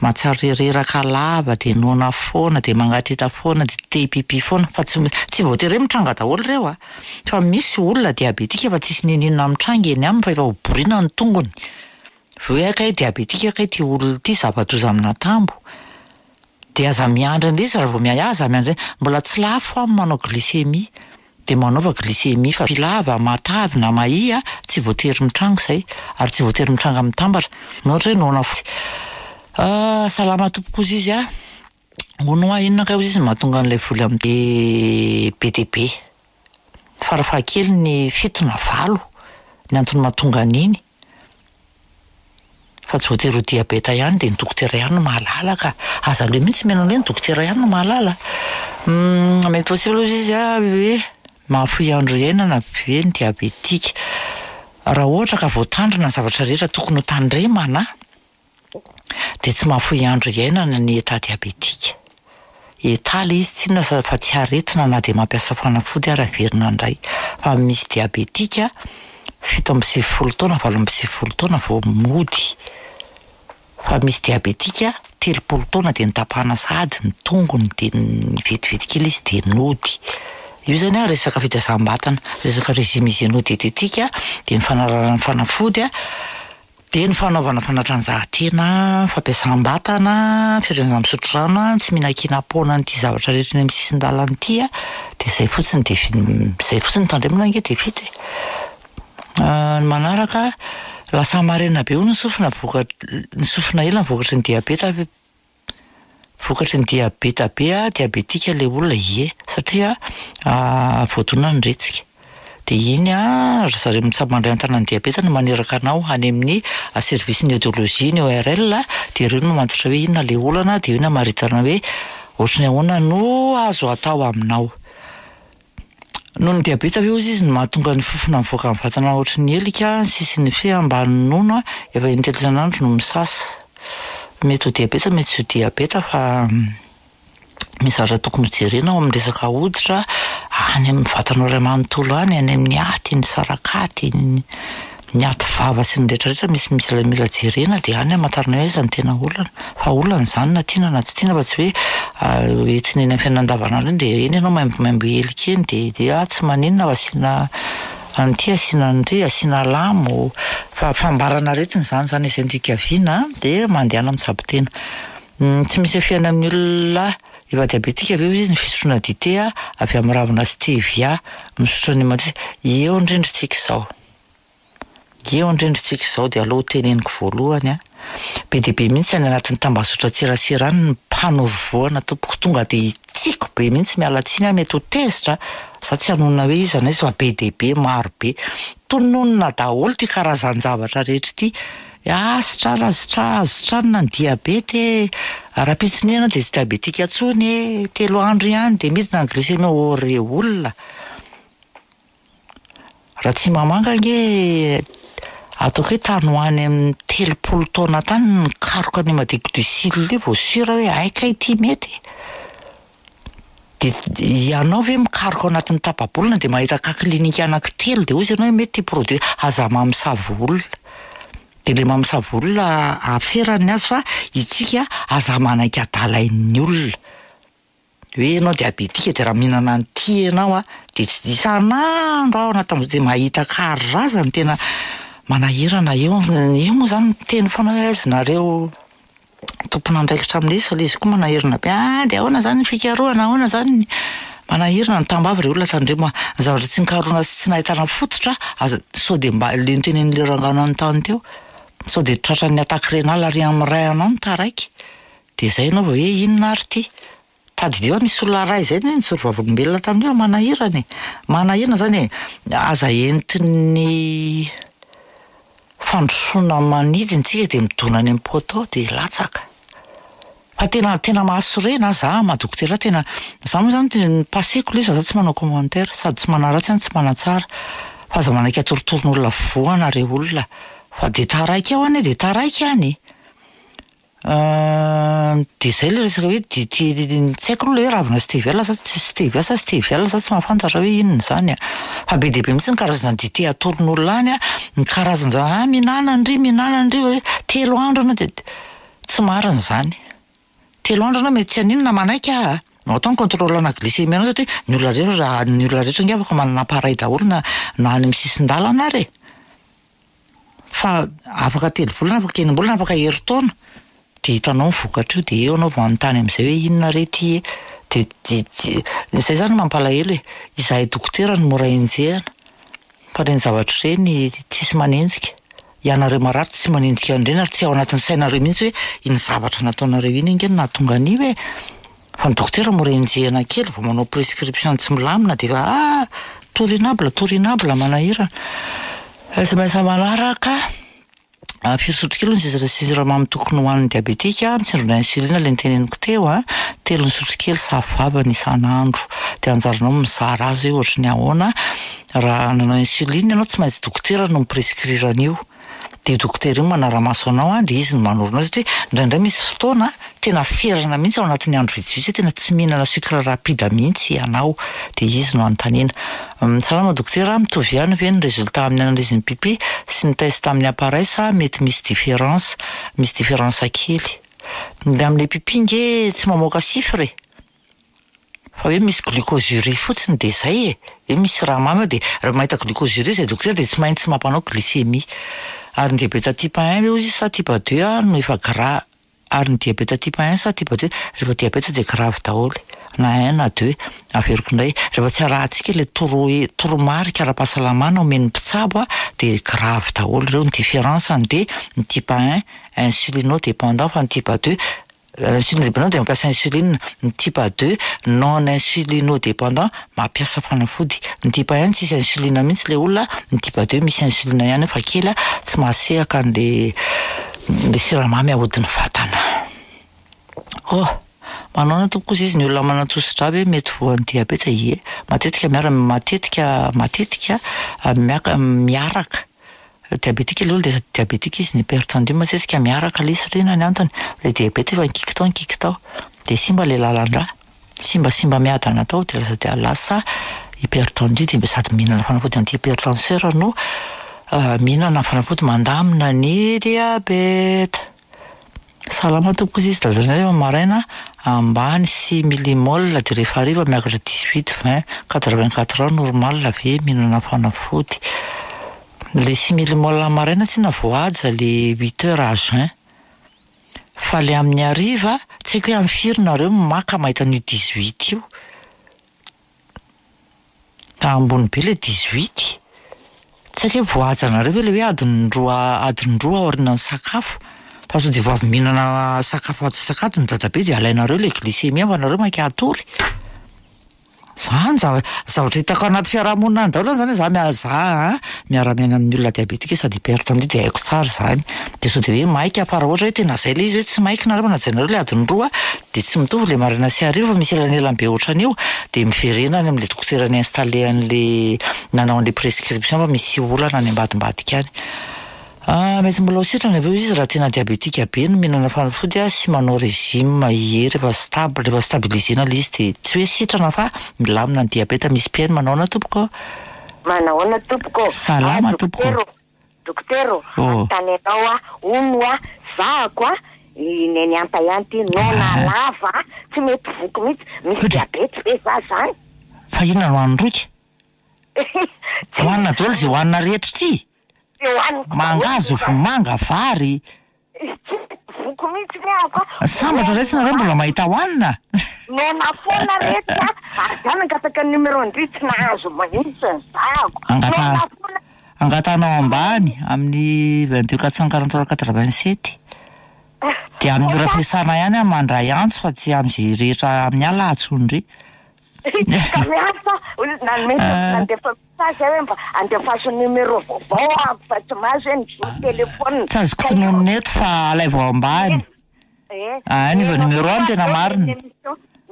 mahatsiaro reraka lava, de noana foana, de mangateta foana, de te hipipi foana, fa tsy tsy voatery hoe mitranga daholo ireo a, fa misy olona diabetika fa tsisy n'inon'inona mitranga eny aminy fa efa ho borina ny tongony. Vao hoe kay diabetika kay ty olona ity, zava-doza amin'atambo. De aza miandry an'ilay izy raha vao miahy, aza miandry, mbola tsy lafo aho manao glycémie. De manaova glycémie fa lava, matavy na mahia, tsy voatery mitranga izay, ary tsy voatery mitranga mitambatra. Na ohatra hoe noana fotsy. Ah, salama tompoko izy izy a. Hono hoa inona kay izy mahatonga an'ilay voly amin'ny be dia be. Farafahakeliny fito na valo ny antony mahatonga an'iny. Fa tsy voatery ho diabeta ihany de ny dokotera ihany no mahalala ka. Aza aleo mihitsy mihaino an'ilay ny dokotera ihany no mahalala. Mety possible izy izy a hoe mahafoy andro iainana ve ny diabetika. Raha ohatra ka voatandrina ny zavatra rehetra tokony ho tandremana, de tsy mahafoy andro iainana ny état diabétique. État le izy tsy inona fa tsy aretina na de mampiasa fanafody ary averina indray. Fa misy diabetika fito amby sivifolo taona, valo amby sivifolo taona vao mody. Fa misy diabetika telopolo taona de nitapahana sahady ny tongony de vetivety kely izy de nody. Io zany a resaka fitazam-batana, resaka régime hygiéno-diététique, de ny fanarahana ny fanafody a, de ny fanaovana fanatanjahantena, fampiasam-batana, firenena misotro rano a, tsy mihinan-kinam-poana an'ity zavatra rehetra eny amin'ny sisin-dalana ity a, de zay fotsiny de zay fotsiny tandremana ange de vita e. Ny manaraka, lasa marena be hono ny sofina voka-, ny sofina ela vokatry ny diabeta, vokatry ny diabeta be a, diabetika le olona, ie, satria voadona ny retsika. De iny a, ry zareo mitsabo mandray an-tanana ny diabeta no maneraka anao any amin'ny service ny audiologie, ny O R L, de ireo no mamantatra hoe inona le olana, de io no hamaritana hoe ohatry ny ahoana no azo atao aminao. Noho ny diabeta ve hozy izy no mahatonga ny fofona mivoaka amin'ny vatana ohatry ny helika, ny sisin'ny fe ambany nono a, efa intelo isan'andro no misasa. Mety ho diabeta, mety tsy ho diabeta, fa misy zavatra tokony hojerena ao amin'ny resaka hoditra, any amin'ny vatanao iray manontolo any, any amin'ny aty, ny sarakaty, ny, ny aty vava sy ny rehetrarehetra, misy, misy ilay mila jerena, de any hamantarana hoe aiza ny tena olana. Fa olana izany na tiana na tsy tiana, fa tsy hoe entina eny amin'ny fiainana andavanandro eny, de eny ianao maimbomaimbo helika eny, de, de ah, tsy maninona fa asiana an'ity, asiana an'ity, asiana lamo. Fa fambarana aretina izany, izany izay ndikaviana, de mandehana mitsabo tena. Tsy misy fiainana amin'ny olona efa diabetika ve izy ny fisotroana dite a, avy amin'ny ravina stevia, misotro ny matetika. Eo indrindra tsika izao. Eo indrindra tsika izao dia aleo teneniko voalohany a, be dia be mihitsy any anatin'ny tambazotran-tserasera any ny mpanoro voana tompoko, tonga dia hitsiko be mihitsy, miala tsiny aho mety ho tezitra, za tsy hanonona hoe iza na iza fa be dia be maro be. Tononona daholo ty karazan-javatra rehetra ity. Ah, sitrana, sitra- sitranina ny diabeta e, rahampitso ianao dia tsy diabetika intsony e, telo andro ihany dia midina ny glycémie. Oh re olona! Raha tsy mamanga ange ataoko hoe tany ho any amin'ny telopolo taona tany nikaroka an'io madéglucile io vao sûr hoe hay kay ity mety. De ianao ve mikaroka ao anatin'ny tapa-bolana dia mahita cas clinique anankitelo dia hoy ianao hoe mety ity produit, aza mamosavy olona. De le mamosavy olona aferany azy fa itsika aza manaiky adalain'ny olona. Hoe ianao diabetika de raha mihinana an'ity ianao a, de tsy isan'andro aho anaty de mahita karazany tena manahirana eo, io moa zany miteny foana hoe aiza nareo tompon'andraikitra amin'ilay izy fa ilay izy koa manahirana be, ah de ahoana zany ny fikarohana, ahoana zany ny manahirana ny tambavy re olona tandremo a, ny zavatra tsy nikarohana sy tsy nahitana fototra aza sao de mba le notenenin'le rangahy nanontany teo, sao de tratran'ny attaque rénale ary amin'ny rein anao no taraiky, de zay ianao vao hoe inona ary ty. Tadidio misy olona ray zay ny nijoro vavolombelona tamin'io manahirana e, manahirana zany e, aza entin'ny fandrosoana manidina tsika de midona any amin'ny poteau de latsaka. Fa tena tena mahasorena za maha dokotera tena za moa zany tena passeko le izy fa za tsy manao commentaire sady tsy manaratsy aho no tsy manatsara fa aza manaiky atorotoroan'olona voana re olona fa de taraiky ao any de taraiky any. De zay le resaka hoe de ty tsy haiko aloha le hoe ravina stevia sa tsy stevia sa stevia za tsy mahafantatra hoe inona zany a. Fa be dia be mihitsy ny karazana dite atoron'olona any a, ny karazan-ja- ah mihinana ndry mihinana ndry hoe telo andro anao de tsy marina zany. Telo andro anao mety tsy haninona manaiky aho a, no atao ny contrôle ana glycémie anao satria ny olona rehetra raha ny olona rehetra ange afaka manana appareil daholo na na any amin'ny sisin-dalana ary e. Fa afaka telo volana, afaka enim-bolana, afaka herintaona de hitanao ny vokatra io de eo anao vao manontany amin'izay hoe inona re ty e, de de de zay zany mampalahelo e, izahay dokotera no mora enjehina fa reny zavatra ireny tsisy manenjika, ianareo marary tsy manenjika an'ireny ary tsy ao anatin'ny sainareo mihitsy hoe iny zavatra nataonareo iny ange no nahatonga an'io e. Fa ny dokotera mora enjehina kely vao manao prescription tsy milamina de efa ah torinable torinable manahirana. S M S manaraka firy sotrokely ny sira siramamy tokony ho an'ny diabetika, mitsindrona insuline le niteneniko teo a, telo ny sotrokely safavany isan'andro, de anjaranao mizara azy hoe ohatry ny ahoana, raha nanao insuline ianao tsy maintsy dokotera no miprescrire an'io, de dokotera io manara-maso anao a, de izy no manoro anao satria indraindray misy fotoana tena ferana mihitsy ao anatin'ny andro vitsivitsy hoe tena tsy mihinana sucre rapide mihitsy ianao, de izy no anontaniana. Salama dokotera, mitovy ihany ve ny résultat amin'ny analyse ny pipi sy ny test amin'ny appareil sa mety misy différence, misy différence kely. Ny amin'ilay pipi nge tsy mamoaka chiffre e, fa hoe misy glucosurie fotsiny de zay e, hoe misy raha mamy ao de raha mahita glucosurie zay dokotera de tsy maintsy mampanao glycémie. Ary ny diabeta type un ve hoy izy sa type deux a no efa gra-, ary ny diabeta type un sa type deux, rehefa diabeta de grave daholo na un na deux, averiko indray rehefa tsy arahantsika le toro toromarika ara-pahasalamana omen'ny mpitsabo a de grave daholo ireo. Ny différence de ny type un insulino dépendant fa ny type deux insulino dépendant de mampiasa insuline, ny type deux non insulino dépendant mampiasa fanafody, ny type un tsisy insuline mihitsy le olona, ny type deux misy insuline ihany fa kely a tsy mahasehaka an'le le siramamy ahodin'ny vatana. Oh, manao na tompoko izy ny olona manatosidra ve mety voan'ny diabeta? Ie, matetika miara matetika matetika miaka miaraka diabetika le olona de sady diabetika izy ny hypertendu matetika miaraka le izy satria inona ny antony, le diabeta efa nikiky tao nikiky tao de simba le lalan-drà, simbasimba miadana tao de lasa dia lasa hypertendu de sady mihinana fanafody anti-hypertenseur no mihinana fanafody mandamina ny diabeta. Salama tompoko izy dadanay rehefa maraina ambany six millimole de rehefa hariva miakatra dix-huit, vingt, quatre-vingt-quatre heures normal ve mihinana fanafody. Le six millimole maraina tsy voahaja le huit heures à jeun. Fa le amin'ny hariva tsy haiko hoe amin'ny firy nareo maka mahita an'io dix-huit io. Ambony be le dix-huit. Tsy Tsy haiko hoe voahajanareo ve le hoe adiny roa adiny roa aorianan'ny sakafo? Fa sao de vao avy mihinana sakafo antsasak'adiny dadabe de alainareo le glycémie fa nareo maika hatory. Zany zava- zavatra hitako anaty fiarahamonina any daholo zany zany za mia- za a miara-miaina amin'ny olona diabetika sady hypertendu de haiko tsara zany. De sao de hoe maika fa raha ohatra hoe tena zay le izy hoe tsy maika nareo fa najainareo le adiny roa de tsy mitovy le maraina sy hariva fa misy elanelany be ohatran'io, de miverena any am'le dokotera ni-installer an'le nanao an'le prescription fa misy olana any ambadimbadika any. Mety mbola ho sitrana ve hoy izy raha tena diabetika be no mihinana fanafody a sy manao régime? Ie, rehefa stable, rehefa stabilisena le izy de tsy hoe sitrana fa milamina ny diabeta. Misy mpihaino. Manahoana tompoko? Manahoana tompoko? Salama Ah, tompoko. dokotera, dokotera, Oh. anontany anao a, hono a, zahako a, i neny anta ihany ty, noana Ah. lava, tsy mety voky mihitsy, misy Ohatry. diabety ve za zany? Fa inona no hohanin-droika? Tsy Hohanina daholo zay hohanina rehetra ty. tsy hohaniko daholo Mangahazo, fa- vomanga, vary. Tsy mety voky mihitsy ve ako a. Sambatra retsy nareo mbola mahita hohanina. Noana foana retsy a, ary za nangataka ny numéro ndry tsy nahazo mihitsy ny zahako. Angata- Noana foana. Angatanao ambany amin'ny vingt-deux quatre cent quarante-trois quatre-vingt-sept. De amin'ny ora fiasana ihany aho mandray antso fa tsy am'izay rehetra amin'ny alina antsondry. Ka miasa nanome nandefa message aho hoe mba andefaso numéro vaovao aho fa tsy mahazo hoe ny zo téléphone. Tsy azoko tononina eto fa alaivo ao ambany. Eh, Ah, ny numéro any tena marina.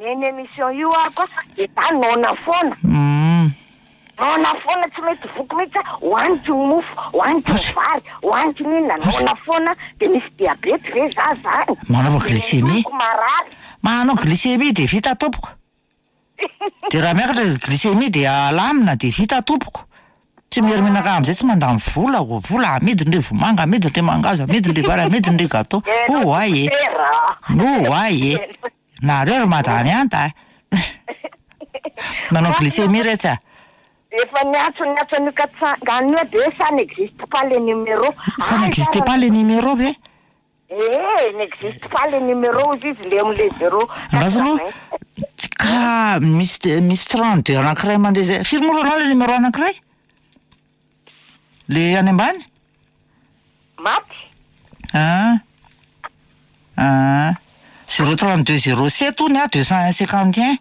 Ny émission io ako de za noana foana. Mm. Noana foana tsy mety voky mihitsy a, hohaniko ny mofo, hohaniko ny vary, hohaniko ny inona, noana foana de misy diabety ve za zany? Manaova glycémie. De marary. Manao glycémie de vita tompoko. De raha miakatra glycémie de alamina de vita tompoko. Tsy mierimenaka am'izay tsy mandany vola o vola amidiny re vomanga, amidiny re mangahazo, amidiny re vary, amidiny re gâteau. Oh ay e. Dokotera. No ay e. Nareo ry madame anta. Manao glycémie retsy a. Efa niantso niantso an'io katsangana io de ça n'existe pas les numéros. Ça n'existe pas les numéros ve? Eh, n'existe pas les numéros izy izy le am'le zéro. Andraso aloha. Ka misy misy trente-deux anankiray mandeha zay. Firy moa aloha le numéro anankiray? Le any ambany? Maty. Ah. Ah. Zéro trente-deux zéro sept hono a, deux cent un cinquante et un.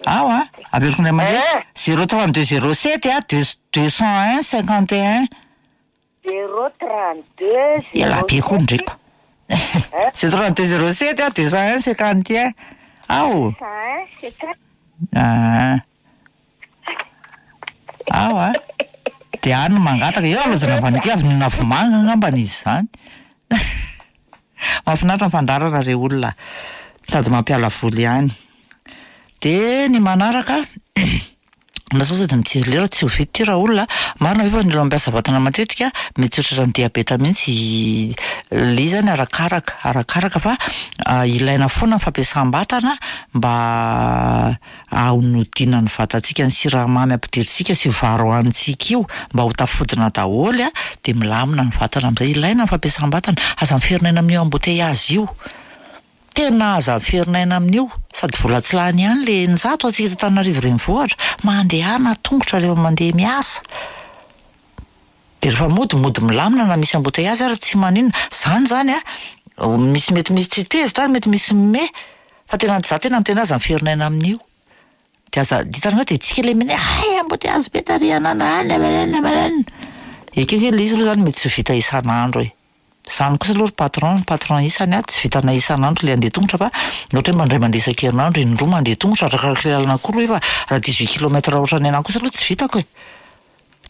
Ao a, averiko indray mandeha. Eh. Zéro trente-deux zéro sept a, deux deux cent un cinquante et un. Zéro trente-deux zéro Ela be koa ndreko. Zéro trente-deux zéro sept a, deux cent un cinquante et un. Ao. cent un cinquante. Ah. Ao a. De any no mangataka eo aloha avy avy nihinana vomanga angambany izy zany. Mahafinaritra ny fandaharana re olona. Sady mampiala voly ihany. De ny manaraka na sao sady mijery lera tsy ho vita ty raha olona. Marina ve fa ny olona mampiasa vatana matetika mety tsy ho tratran'ny diabeta mihitsy? Le izy zany arakaraka arakaraka fa ah, ilaina foana ny fampiasam-batana mba hanodinan'ny vatantsika ny siramamy ampidirintsika sy vary hohanintsika io mba ho tafodina daholo a, de milamina ny vatana amin'izay. Ilaina ny fampiasam-batana, aza miferinaina amin'io embouteillage io. Tena aza miferinaina amin'io, sady vola tsy lany ihany le eninjato antsika eto Antananarivo renivohitra. Mandehana tongotra rehefa mandeha miasa. De rehefa mody, mody milamina na misy embouteillage ary tsy maninona. Zany zany a, misy mety misy tsy tezitra ary mety misy mime, fa tena za tena miteny aza miferinaina amin'io. De aza hitanareo de tsika le mine, ay embouteillage be tary anana, any, any, any, any. Ekeko hoe le izy aloha zany mety tsy ho vita isan'andro e. Zany kosa aloha ry patron, patron isany a, tsy vitana isan'andro le andeha tongotra fa ohatra hoe mandray mandeha isan-kerinandro indroa mandeha tongotra arakaraka le lalana koa aloha fa raha dix-huit kilomètres ohatran'ny anahy kosa aloha tsy vitako e.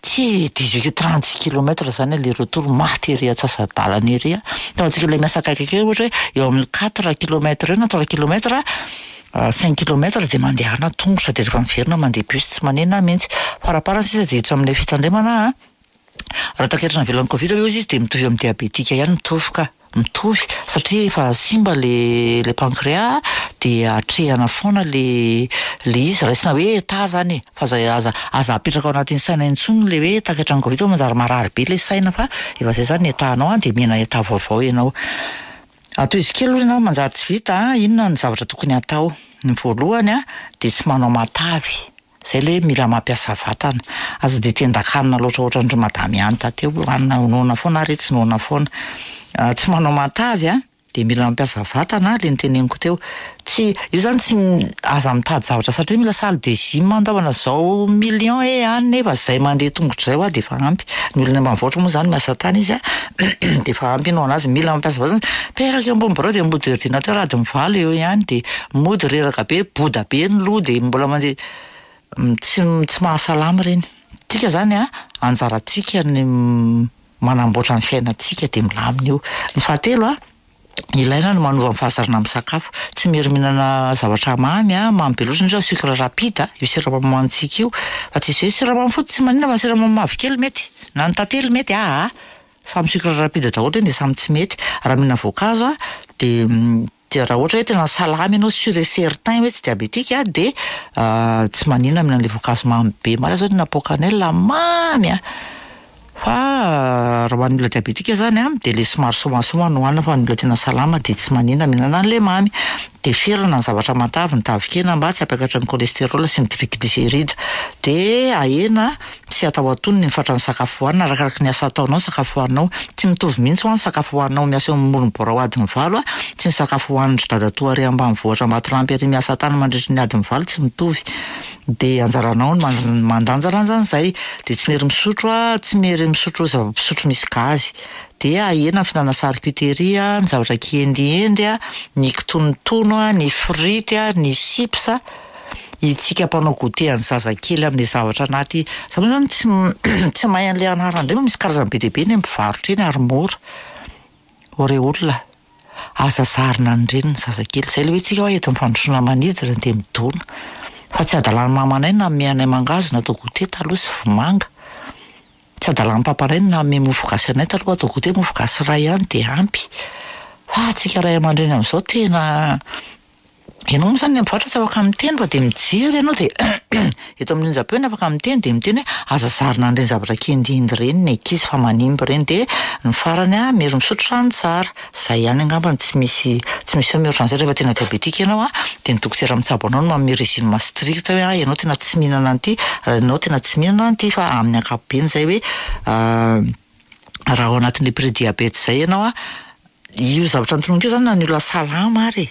Tsy dix-huit trente-six kilomètres zany aller retour maty ery antsasa-dalana ery a. Fa antsika le miasa akaikikely ohatra hoe eo amin'ny quatre kilomètres eo na trois kilomètres, cinq kilomètres de mandehana tongotra de rehefa miverina mandeha bus tsy manena mihitsy. Faraparany sisa de hiditra amin'ilay fitandremana a. Raha taketrana avelan'ny Covid aloha izy de mitovy amin'ny diabetika ihany, mitovy ka, mitovy satria efa simba le le pancréas de atrehana foana le le izy, raisina hoe état zany e, fa aza aza aza apetraka ao anatin'ny saina intsony le hoe takatran'ny Covid fa manjary marary be le saina fa efa zay zany état-nao a, de mihena état vaovao ianao. Atoizo kely aloha ianao manjary tsy vita a, inona ny zavatra tokony hatao? Ny voalohany a, de tsy manao matavy. Zay le mila mampiasa vatana. Aza de tendakanina loatra ohatran-dry madame ihany tateo, hanina noana foana ary tsy noana foana. Tsy manao matavy a, de mila mampiasa vatana, le niteneniko teo. Tsy io zany, tsy aza mitady zavatra satria mila salle de gym andaovana zao million e any, nefa zay mandeha tongotra zay hoa de efa ampy. Ny olona ambanivohitra moa zany miasa tany izy a, de efa ampy iny ho anazy. Mila mampiasa vatana, mipetraka eo ambony birao de mody ordinateur adiny valo eo ihany, de mody reraka be, boda be ny loha, de mbola mandeha, tsy tsy mahasalama ireny. Tsika zany a, anjarantsika ny manamboatra ny fiainantsika de milamina io. Ny fahatelo a, ilaina ny manova ny fahazarana amin'ny sakafo. Tsy miery mihinana zavatra mamy a, mamy be loatra, indrindra sucre rapide io siramamy hohanintsika io, fa tsisy hoe siramamy fotsy tsy maninona fa siramamy mavokely mety, na ny tantely mety, aa samy sucre rapide daholo ireny de samy tsy mety. Raha mihinana voankazo a, de de raha ohatra hoe tena salama ianao, sûr et certain hoe tsy diabétique a, de tsy maninona mihinana an'le voankazo mamy be. Marina zao tena pot cannelle mamy a, fa raha ho an'ny olona diabétique zany a, de le somary somasoma no hohanina, fa ny olona tena salama de tsy maninona mihinana an'le mamy. De ferana ny zavatra matavy, ny tavin-kena, mba tsy hampiakatra ny cholestérol sy ny triglycéride. De ahena sy atao antonony ny fatran'ny sakafo hohanina arakaraky ny asa ataonao. Ny sakafo hohaninao tsy mitovy mihitsy ho ny sakafo hohaninao miasa eo amin'ny birao adiny valo a, tsy ny sakafo hohanin-dry dadatoa ary ambanivohitra Ambatolampy ary miasa tany mandritry ny adiny valo, tsy mitovy. De anjaranao ny mandanjalanja an'izay. De tsy miery misotro a, tsy miery misotro zava-pisotro misy gazy. De ahena ny fihinanana charcuterie a, ny zavatra kiendiendy a, ny kitonotono a, ny frity a, ny chips. Itsika mpanao goûter an'ny zazakely amin'le zavatra anaty za moa zany tsy tsy mahay an'le anarany indray, fa misy karazany be dia be ny mpivarotra eny ary mora. Ore olona, aza zarina an'ireny ny zazakely. Zay le hoe tsika hoe entin'ny fandrosoana manidina de midona, fa tsy adalan'ny mamanay nanome anay mangahazo natao goûter taloha sy vomanga, tsy adalan'ny papanay nanome mofo gasy anay taloha atao goûter, mofo gasy iray ihany de ampy. Fa tsika ray aman-dreny amin'izao tena, ianao moa zany ny mpivarotra tsy afaka miteny fa de mijery ianao, de eto amin'ny onjam-peo ny afaka miteny, de miteny hoe aza zarina an'ireny zavatra kiendiendy ireny ny ankizy fa manimba ireny. De ny farany a, miery misotro rano tsara, zay ihany angambany, tsy misy tsy misy hoe mihoatra an'izay. Rehefa tena diabétique ianao a, de ny dokotera mitsabo anao no manome régime strict hoe ah, ianao tena tsy mihinana an'ity, ianao tena tsy mihinana an'ity. Fa amin'ny ankapobeny zay hoe raha ao anatin'le prédiabète zay ianao a, io zavatra notononiko io zany, na ny olona salama ary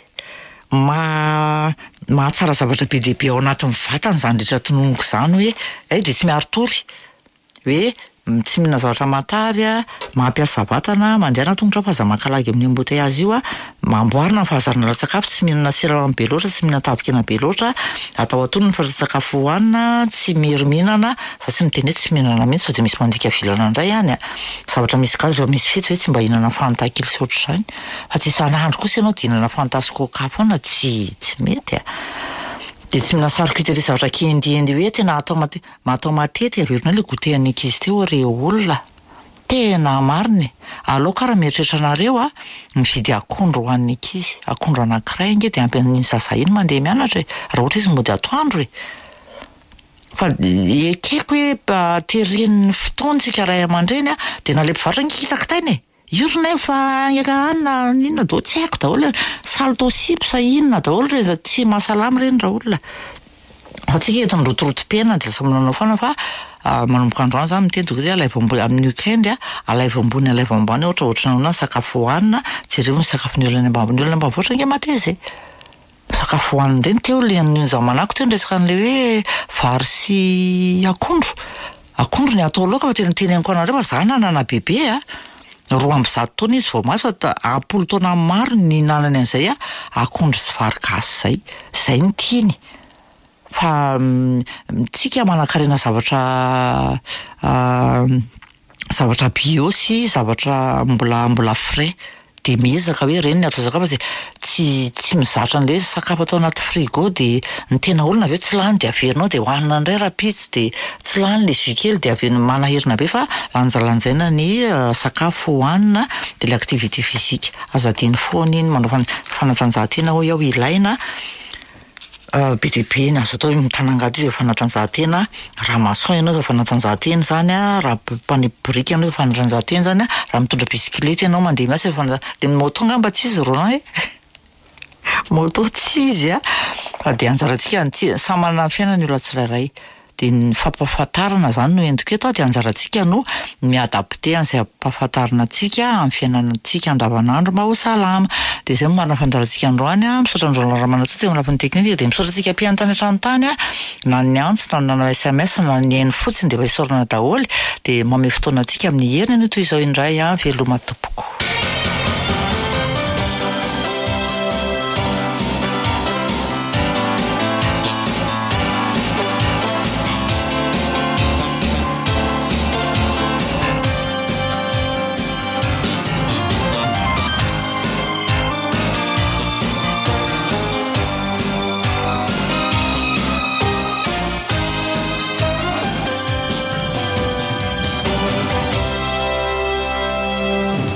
ma mahatsara zavatra be dia be ao anatin'ny vatana zany rehetra tononiko zany, hoe ay de tsy miari-tory, hoe tsy mihinana zavatra matavy a, mampiasa vatana, mandehana tongotra fa aza mankalagy amin'ny embouteillage io a, mamboarina ny fahazarana ara-tsakafo, tsy mihinana siramamy be loatra, tsy mihinana tavin-kena be loatra, atao antonony ny fatran-tsakafo hohanina, tsy miery mihinana, za tsy miteny hoe tsy mihinana mihitsy sao de misy mandika vilana indray any a, zavatra misy gazy. Rehefa misy fety hoe tsy mba hihinana Fanta kely sy ohatr'izany, fa tsy isan'andro kosa ianao de hihinana Fanta sy Coca foana, tsy tsy mety a. De tsy mihinana charcuterie, zavatra kiendiendy hoe tena atao mate- atao matetika. Averinao le goûter an'ny ankizy teo, re olona, tena marina e. Aleo karaha mieritreritra anareo a, mividy akondro ho an'ny ankizy, akondro anankiray ange de ampy an'iny zaza iny mandeha mianatra e, raha ohatra izy mody atoandro e. Fa ekeko hoe teren'ny fotoantsika ray aman-dreny a, de na le mpivarotra ange kitakitaina e, io ry nay fa eka anina inona daholo, tsy haiko daholo, salto chips inona daholo reny, tsy mahasalama ireny raha olona. Fa tsika entin'ny rotorotom-piainana de lasa manao foana. Fa manomboka androany zany miteny tonga de alaivo ambony amin'ny weekend a, alaivo ambony, alaivo ambany, ohatra ohatrany ahoana ny sakafo hohanina, jereo ny sakafon'ny olona any ambany, ny olona ambanivohitra ange mateza e, sakafo hohanina ireny. Teo le amin'ny zamanako teo niresaka an'le hoe vary sy akondro, akondro ny atao laoka, fa tena teneniko anareo fa za nanana bebe a, roa amby zato taona izy vao maty, fa ampolo taona maro ny nihinanany an'izay a, akondro sy vary gasy zay, zay ny tiany. Fa tsika manan-karena zavatra zavatra bio sy zavatra mbola mbola frais, de miezaka hoe ireny ny atao sakafo, fa tsy tsy mizatra an'le hoe sakafo atao anaty frigo, de ny tena olona avy eo tsy lany de averinao de hohanina indray rahampitso, de tsy lany le jus kely de avy manahirana be. Fa lanjalanjaina ny sakafo hohanina. De le activité physique aza adino foana iny, manao fanatanjahantena hoy aho, ilaina be dia be ny azo atao. Mitanangady io de fanatanjahantena, raha maçon ianao efa fanatanjahantena zany a, raha mpanipy biriky ianao efa fanatanjahantena zany a, raha mitondra bisikileta ianao mandeha miasa efa fana- le moto angamba tsy izy Roland e, Moto tsy izy a, fa de anjarantsika ny samy manana ny fiainana ny olona tsirairay, de ny fampahafantarana zany no entiko eto a, de anjarantsika no mi-adapter an'izay ampahafantarina antsika amin'ny fiainantsika andavanandro mba ho salama. De zay no marina fandaharantsika androany a. Misaotra an-dRoland Ramanantsoa teo amin'ny lafiny teknika, de misaotra antsika mpihaino tany an-trano tany a, na ny antso na ny nanao S M S na ny haino fotsiny, de efa isaorana daholo, de manome fotoana antsika amin'ny heriny anio toy izao indray a. Veloma tompoko.